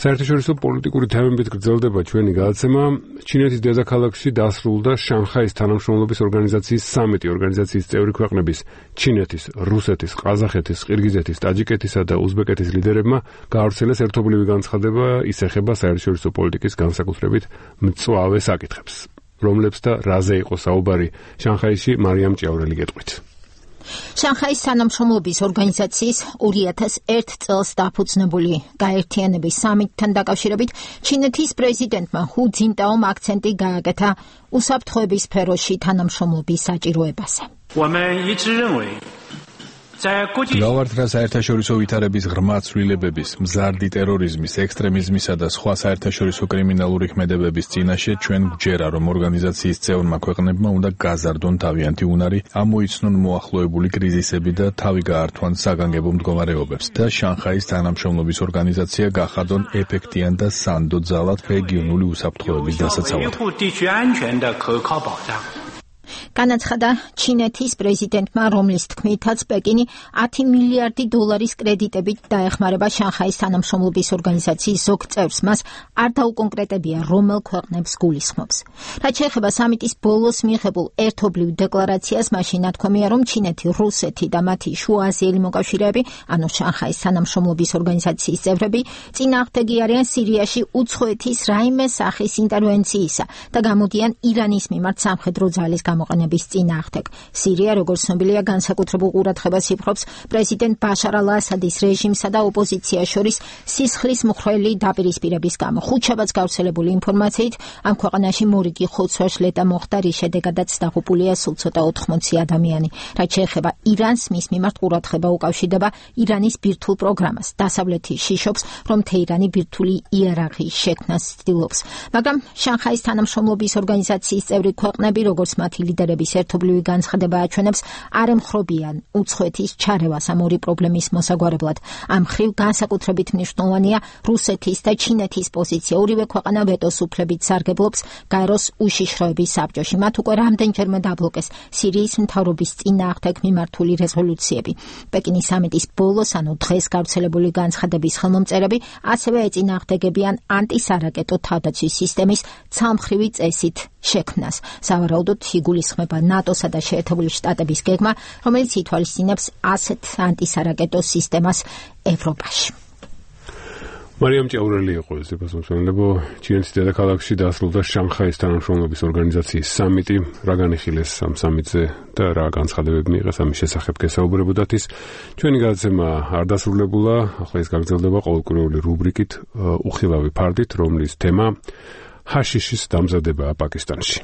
საერთაშორისო პოლიტიკური თემებით გრძელდება ჩვენი გადაცემა. ჩინეთის დედაქალაქში დასრულდა შანხაის თანამშრომლობის ორგანიზაციის სამიტი. ორგანიზაციის წევრი ქვეყნების ჩინეთის, რუსეთის, ყაზახეთის, ყირგიზეთის, ტაჯიკეთისა და უზბეკეთის ლიდერებმა გაავრცელეს ერთობლივი განცხადება, ის ეხება საერთაშორისო პოლიტიკის განსაკუთრებით მწვავე საკითხებს. რომლებს და რაზე იყო საუბარი შანხაიში, მარიამ ჭიაურელი გეტყვით. შანხაის თანამშრომლობის ორგანიზაციის ორი ათას ერთ წელს დაფუძნებული გაერთიანების სამიტთან დაკავშირებით ჩინეთის პრეზიდენტმა ჰუ ძინტაომ აქცენტი გააკეთა უსაფრთხოების სფეროში თანამშრომლობის საჭიროებაზე. გავართ რა საერთაშორისო ვითარების ღრმა ცვლილებების, მზარდი ტერორიზმის, ექსტრემიზმისა და სხვა საერთაშორისო კრიმინალური ქმედებების წინაშე ჩვენ გვჯერა, რომ ორგანიზაციის წევრმა ქვეყნებმა უნდა გაზარდონ თავიანთი უნარი, ამოიცნონ მოახლოებული კრიზისები და თავი გაართვან საგანგებო მდგომარეობებს და შანხაის თანამშრომლობის ორგანიზაცია გახადონ ეფექტიან და სანდო ძალად რეგიონული უსაფრთხოების დასაცავად. განაცხადა ჩინეთის პრეზიდენტმა, რომლის თქმითაც პეკინი ათი მილიარდი დოლარის კრედიტებით დაეხმარება შანხაის თანამშრომლობის ორგანიზაციის ზოგ წევრს, მას არ დაუკონკრეტებია, რომელ ქვეყნებს გულისხმობს. რაც შეეხება სამიტის ბოლოს მიღებულ ერთობლივ დეკლარაციას, მაშინ ნათქვამია, რომ ჩინეთი, რუსეთი და მათი შუააზიელი მოკავშირეები, ანუ შანხაის თანამშრომლობის ორგანიზაციის წევრები, წინააღმდეგი არიან სირიაში უცხოეთის რაიმე სახის ინტერვენციისა და გამოდიან ირანის მიმართ სამხედრო ძალის გამოყენების წინააღმდეგ. სირია, როგორც ცნობილია, განსაკუთრებულ ყურადღებას იპყრობს პრეზიდენტ ბაშარ ალ-ასადის რეჟიმსა და ოპოზიციას შორის სისხლის მხვრელი დაპირისპირების გამო. ხუთშაბათს გავრცელებული ინფორმაციით, ამ ქვეყანაში მორიგი ხოცვა-შლეტა მოხდა, რის შედეგადაც დაღუპულია სულ ცოტა ოთხმოცი ადამიანი. რაც შეეხება ირანს, მის მიმართ ყურადღება უკავშირდება ირანის ბირთვულ პროგრამას. დასავლეთი შიშობს, რომ თეირანი ბირთვული იერარქიის შექმნას ცდილობს. მაგრამ შანხაის თანამშრომლობის ორგანიზაციის წევრი ქვეყნები, როგორც მათი ლიდერების ერთობლივი განცხადება აჩვენებს, არ ემხრობიან უცხოეთის ჩარევას ამ ორი პრობლემის მოსაგვარებლად. ამ მხრივ განსაკუთრებით მნიშვნელოვანია რუსეთის და ჩინეთის პოზიცია. ორივე ქვეყანა ვეტოს უფლებით სარგებლობს გაეროს უშიშროების საბჭოში. მათ უკვე რამდენჯერმე დაბლოკეს სირიის მთავრობის წინააღმდეგ მიმართული რეზოლუციები. პეკინის სამიტის ბოლოს, ანუ დღეს გავრცელებული განცხადების ხელმომწერები ასევე ეწინააღმდეგებიან ანტისარაკეტო თავდაცვის სისტემის ცალმხრივი წესით შექმნას. სავარაუდოდ იგულისხმება ნატოსა და შეერთებული შტატების გეგმა, რომელიც ითვალისწინებს ასეთ ანტისარაკეტო სისტემას ევროპაში. მარიამ ჭიაურელი იყო ეს პასუხისმგებლობა. ჩინეთის დედაქალაქში დასრულდა შანხაის თანამშრომლობის ორგანიზაციის სამიტი. რა განიხილეს ამ სამიტზე და რა განცხადებები მიიღეს ამის შესახებ გესაუბრებოდათ ის. ჩვენი გადაცემა არ დასრულებულა, ახლა ის გაგრძელდება ყოველკვირეული რუბრიკით უხილავი ფარდით, რომლის თემა ჰაშიშის დამზადებაა პაკისტანში.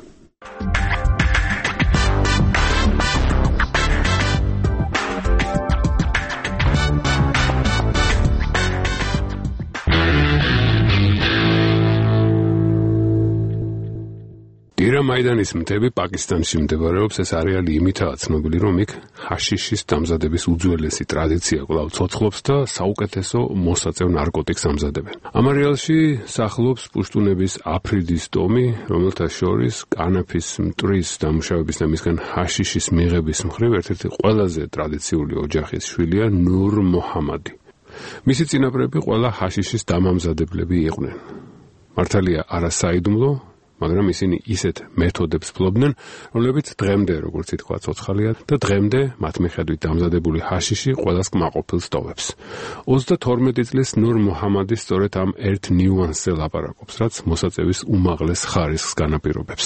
ირა მაიდანის მთები პაკისტანში მდებარეობს. ეს არეალი იმითაა ცნობილი, რომ იქ ჰაშიშის დამზადების უძველესი ტრადიცია კვლავ ცოცხლობს და საუკეთესო მოსაწევ ნარკოტიკს ამზადებენ. ამ არეალში სახლობს პუშტუნების აფრიდის ტომი, რომელთა შორის კანაფის მტვრის დამუშავების და მისგან ჰაშიშის მიღების მხრივ ერთ-ერთი ყველაზე ტრადიციული ოჯახის შვილია ნურ მოჰამადი. მისი წინაპრები ყველა ჰაშიშის დამამზადებლები იყვნენ. მართალია არა საიდუმლო, მაგრამ ისინი ისეთ მეთოდებს ფლობდნენ, რომლებიც დღემდე, როგორც ითქვა, ცოცხალია და დღემდე მათ მიხედვით დამზადებული ჰაშიში ყველას კმაყოფილს ტოვებს. ოცდათორმეტი წლის ნურ მუჰამადი სწორედ ამ ერთ ნიუანსზე ლაპარაკობს, რაც მოსაწევის უმაღლეს ხარისხს განაპირობებს.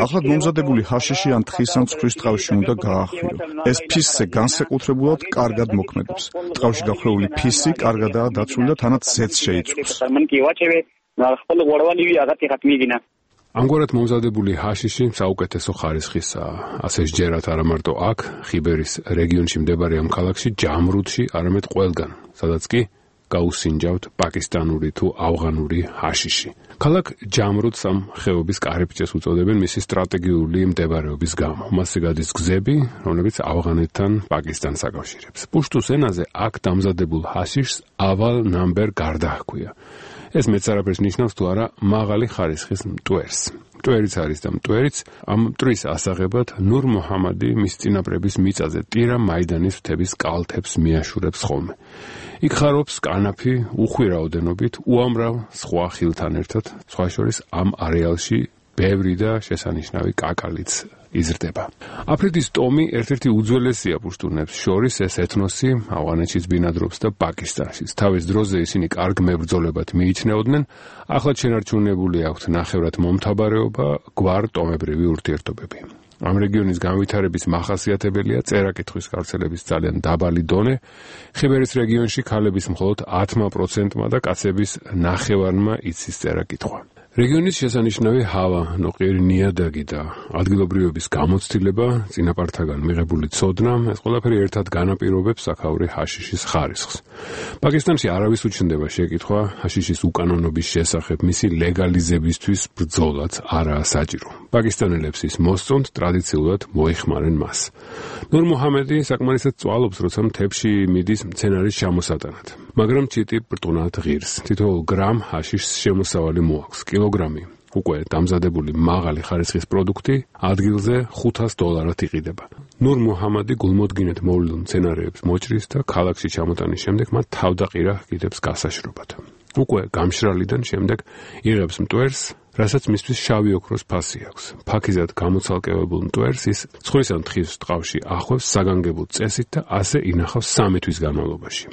ახლად მომზადებული ჰაშიში ან თხის ან ცხვრის ტყავში უნდა გაახვიო. ეს ფისზე განსაკუთრებულად კარგად მოქმედებს. ტყავში გახვეული ფისი კარგადაა დაცული და თანაც ზეთს შეიწვევს. ამგვარად მომზადებული ჰაშიში საუკეთესო ხარისხისაა. ასე სჯერათ არა მარტო აქ, ხიბერის რეგიონში მდებარე ამ ქალაქში, ჯამრუდში, არამედ ყველგან, სადაც კი გაუსინჯავთ პაკისტანური თუ ავღანური ჰაშიში. ქალაქ ჯამრუდს ამ ხეობის კარიბჭეს უწოდებენ მისი სტრატეგიული მდებარეობის გამო. მასზე გადის გზები, რომლებიც ავღანეთთან პაკისტანს აკავშირებს. პუშტუს ენაზე აქ დამზადებულ ჰაშიშს ავალ ნამბერ გარდა ჰქვია. ეს მეც არაფერს ნიშნავს თუ არა მაღალი ხარისხის მტვერს. მტვერიც არის და მტვერიც ამ მტვრის ასაღებად ნურ მუჰამადი მის წინაპრების მიწაზე ტირა მაიდანის მთების კალთებს მიაშურებს ხოლმე. იქ ხარობს კანაფი უხვი რაოდენობით უამრავ სხვა ხილთან ერთად, სხვა შორის ამ არეალში ბევრი და შესანიშნავი კაკალიც იზრდება. აფრიკის ტომი ერთ-ერთი უძველესია პუშტუნებს შორის, ეს ეთნოსი ავღანეთშიც ბინადრობს და პაკისტანშიც. თავის დროზე ისინი კარგ მებრძოლებად მიიჩნეოდნენ, ახლად შენარჩუნებული აქვთ ნახევრად მომთაბარეობა, გვარ-ტომებრივი ურთიერთობები. ამ რეგიონის განვითარების მახასიათებელია წერა-კითხვის გავრცელების ძალიან დაბალი დონე. ხიბერის რეგიონში ქალების მხოლოდ ათმა პროცენტმა და კაცების ნახევარმა იცის წერა-კითხვა. რეგიონის შესანიშნავი ჰავა, ნოყიერი ნიადაგი და ადგილობრივების გამოცდილება, წინაპართაგან მიღებული ცოდნა, ეს ყველაფერი ერთად განაპირობებს აქაური ჰაშიშის ხარისხს. პაკისტანში არავის უჩნდება შეკითხვა ჰაშიშის უკანონობის შესახებ, მისი ლეგალიზებისთვის ბრძოლაც არაა საჭირო. პაკისტანელებს ის მოსწონთ, ტრადიციულად მოიხმარენ მას. ნურ მუჰამადი საკმარისად წვალობს, როცა მთებში მიდის მცენარის ჩამოსატანად. მაგრამ ჩიტი ბრტყნად ღირს. თითოეულ გრამ ჰაშიშს შემოსავალი მოაქვს. კილოგრამი უკვე დამზადებული მაღალი ხარისხის პროდუქტი ადგილზე ხუთას დოლარად იყიდება. ნურ მუჰამადი გულმოდგინედ მოვლილ მცენარეებს მოჭრის და ქალაქში ჩამოტანის შემდეგ მათ თავდაყირა ჰგიდებს გასაშრობად. უკვე გამშრალიდან შემდეგ იღებს მტვერს, რასაც მისთვის შავი ოქროს ფასი აქვს. ფაქიზად გამოცალკევებულ მტვერს ის ცხვრის ან თხის ტყავში ახვევს საგანგებო წესით და ასე ინახავს სამი თვის განმავლობაში.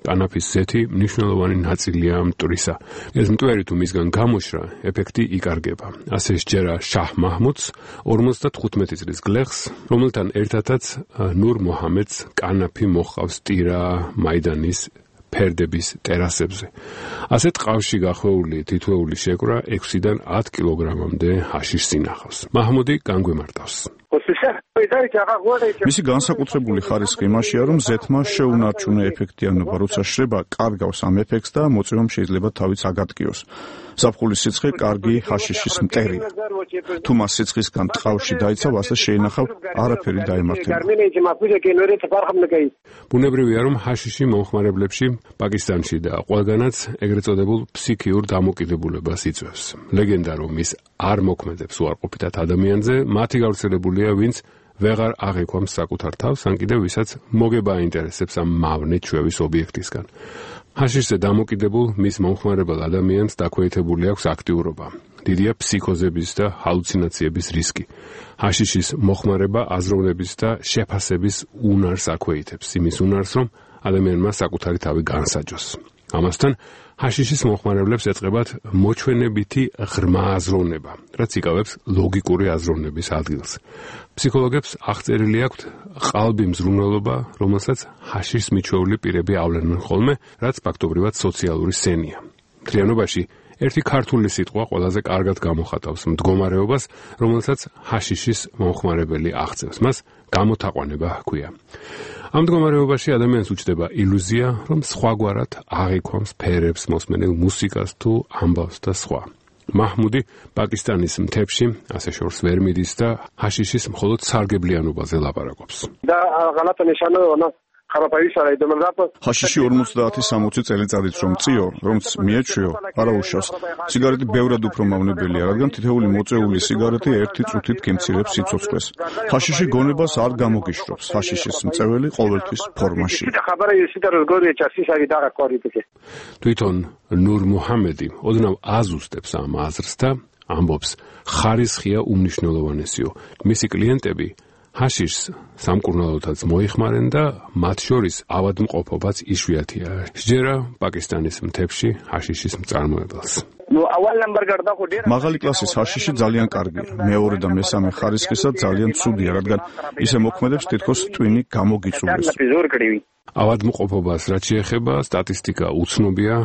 კანაფის ზეთი მნიშვნელოვანი ნაწილია მტვრისა. ეს მტვერი თუ მისგან გამოშრა, ეფექტი იკარგება. ასე სჯერა შაჰ მაჰმუდს ორმოცდათხუთმეტი წლის გლეხს, რომელთან ერთადაც ნურ მუჰამედს კანაფი მოჰყავს ტირა მაიდანის ფერდების ტერასებზე. ასე ტყავში გახვეული თითოეული შეკვრა ექვსიდან ათ კილოგრამამდე ჰაშიშს ინახავს. მაჰმუდი განგვემართავს. მისი განსაკუთრებული ხარისხი იმაშია, რომ ზეთმა შეუნარჩუნა ეფექტიანობა, როცა შრება კარგავს ამ ეფექტს და მოწვევამ შეიძლება თავიც აგატკიოს. ზაფხულის სიცხე კარგი ჰაშიშის მტერია. თუ მას სიცხისგან ტყავში დაიცავ, ასე შეინახავ, არაფერი დაემართება. ბუნებრივია, რომ ჰაშიში მომხმარებლებში პაკისტანში და ყველგანაც ეგრეთ წოდებულ ფსიქიურ დამოკიდებულებას იწვევს. ლეგენდა, რომ ის არ მოქმედებს უარყოფითად ადამიანზე, მათი გავრცელებულია, ვინც ვეღარ აღიქვამს საკუთარ თავს, ან კიდევ ვისაც მოგება აინტერესებს ამ მავნე ჩვევის ობიექტისგან. ჰაშიშზე დამოკიდებულ მის მომხმარებელ ადამიანს დაქვეითებული აქვს აქტიურობა. დიდია ფსიქოზების და ჰალუცინაციების რისკი. ჰაშიშის მოხმარება აზროვნების და შეფასების უნარს აქვეითებს, იმის უნარს, რომ ადამიანმა საკუთარი თავი განსაჯოს. ამასთან ჰაშიშის მომხმარებლებს ეწყებათ მოჩვენებითი ღრმა აზროვნება, რაც იკავებს ლოგიკური აზროვნების ადგილს. ფსიქოლოგებს აღწერილი აქვთ ყალბი მზრუნველობა, რომელსაც ჰაშიშს მიჩვეული პირები ავლენენ ხოლმე, რაც ფაქტობრივად სოციალური სენია. მთლიანობაში ერთი ქართული სიტყვა ყველაზე კარგად გამოხატავს მდგომარეობას, რომელსაც ჰაშიშის მომხმარებელი აღწევს. მას გამოთაყვანება ჰქვია. ამ მდგომარეობაში ადამიანს უჩნდება ილუზია, რომ სხვაგვარად აღიქვამს ფერებს, მოსმენელ მუსიკას თუ ამბავს და სხვა. მაჰმუდი პაკისტანის მთებში ასე შორს ვერ მიდის და ჰაშიშის მხოლოდ სარგებლიანობაზე ლაპარაკობს. და ღალატ ნიშანო ჰაშიში ორმოცდაათი სამოცი წელიწადიც რომ წიო, რომც მიეჩვიო, არა უშავს. სიგარეტი ბევრად უფრო მავნებელია, რადგან თითოეული მოწეული სიგარეტი ერთი წუთით გემცირებს სიცოცხლეს. ჰაშიში გონებას არ გამოგიშრობს. ჰაშიშის მწეველი ყოველთვის ფორმაში. თვითონ ნურ მუჰამედი ოდნავ აზუსტებს ამ აზრს და ამბობს, ხარისხია უმნიშვნელოვანესიო. მისი კლიენტები ჰაშიშს სამკურნალოდაც მოიხმარენ და მათ შორის ავადმყოფობაც იშვიათია. სჯერა პაკისტანის მთებში ჰაშიშის მწარმოებელს. მაღალი კლასის ჰაშიში ძალიან კარგია. მეორე და მესამე ხარისხისა ძალიან ცუდია, რადგან ისე მოქმედებს თითქოს ტვინი გამოგიწურდეს. ავადმყოფობას რაც შეეხება, სტატისტიკა უცნობია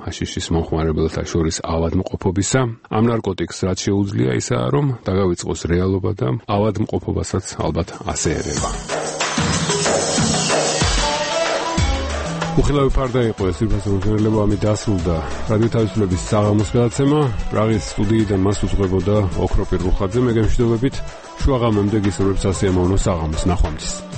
ჰაშიშის მომხმარებელთა შორის ავადმყოფობისა. ამ ნარკოტიკს რაც შეუძლია ისაა, რომ დაგავიწყოს რეალობა და ავადმყოფობასაც ალბათ ასე ერევა. უხილავი ფარდა იყო ეს ინფორმაციული ამი დასრულდა. რადიო თავისუფლების საღამოს გადაცემა პრაღის სტუდიიდან მას უძღვებოდა ოქროპირ რუხაძე. მე გემშვიდობებით შუაღამემდე გისურვებთ სასიამოვნო საღამოს. ნახვამდის.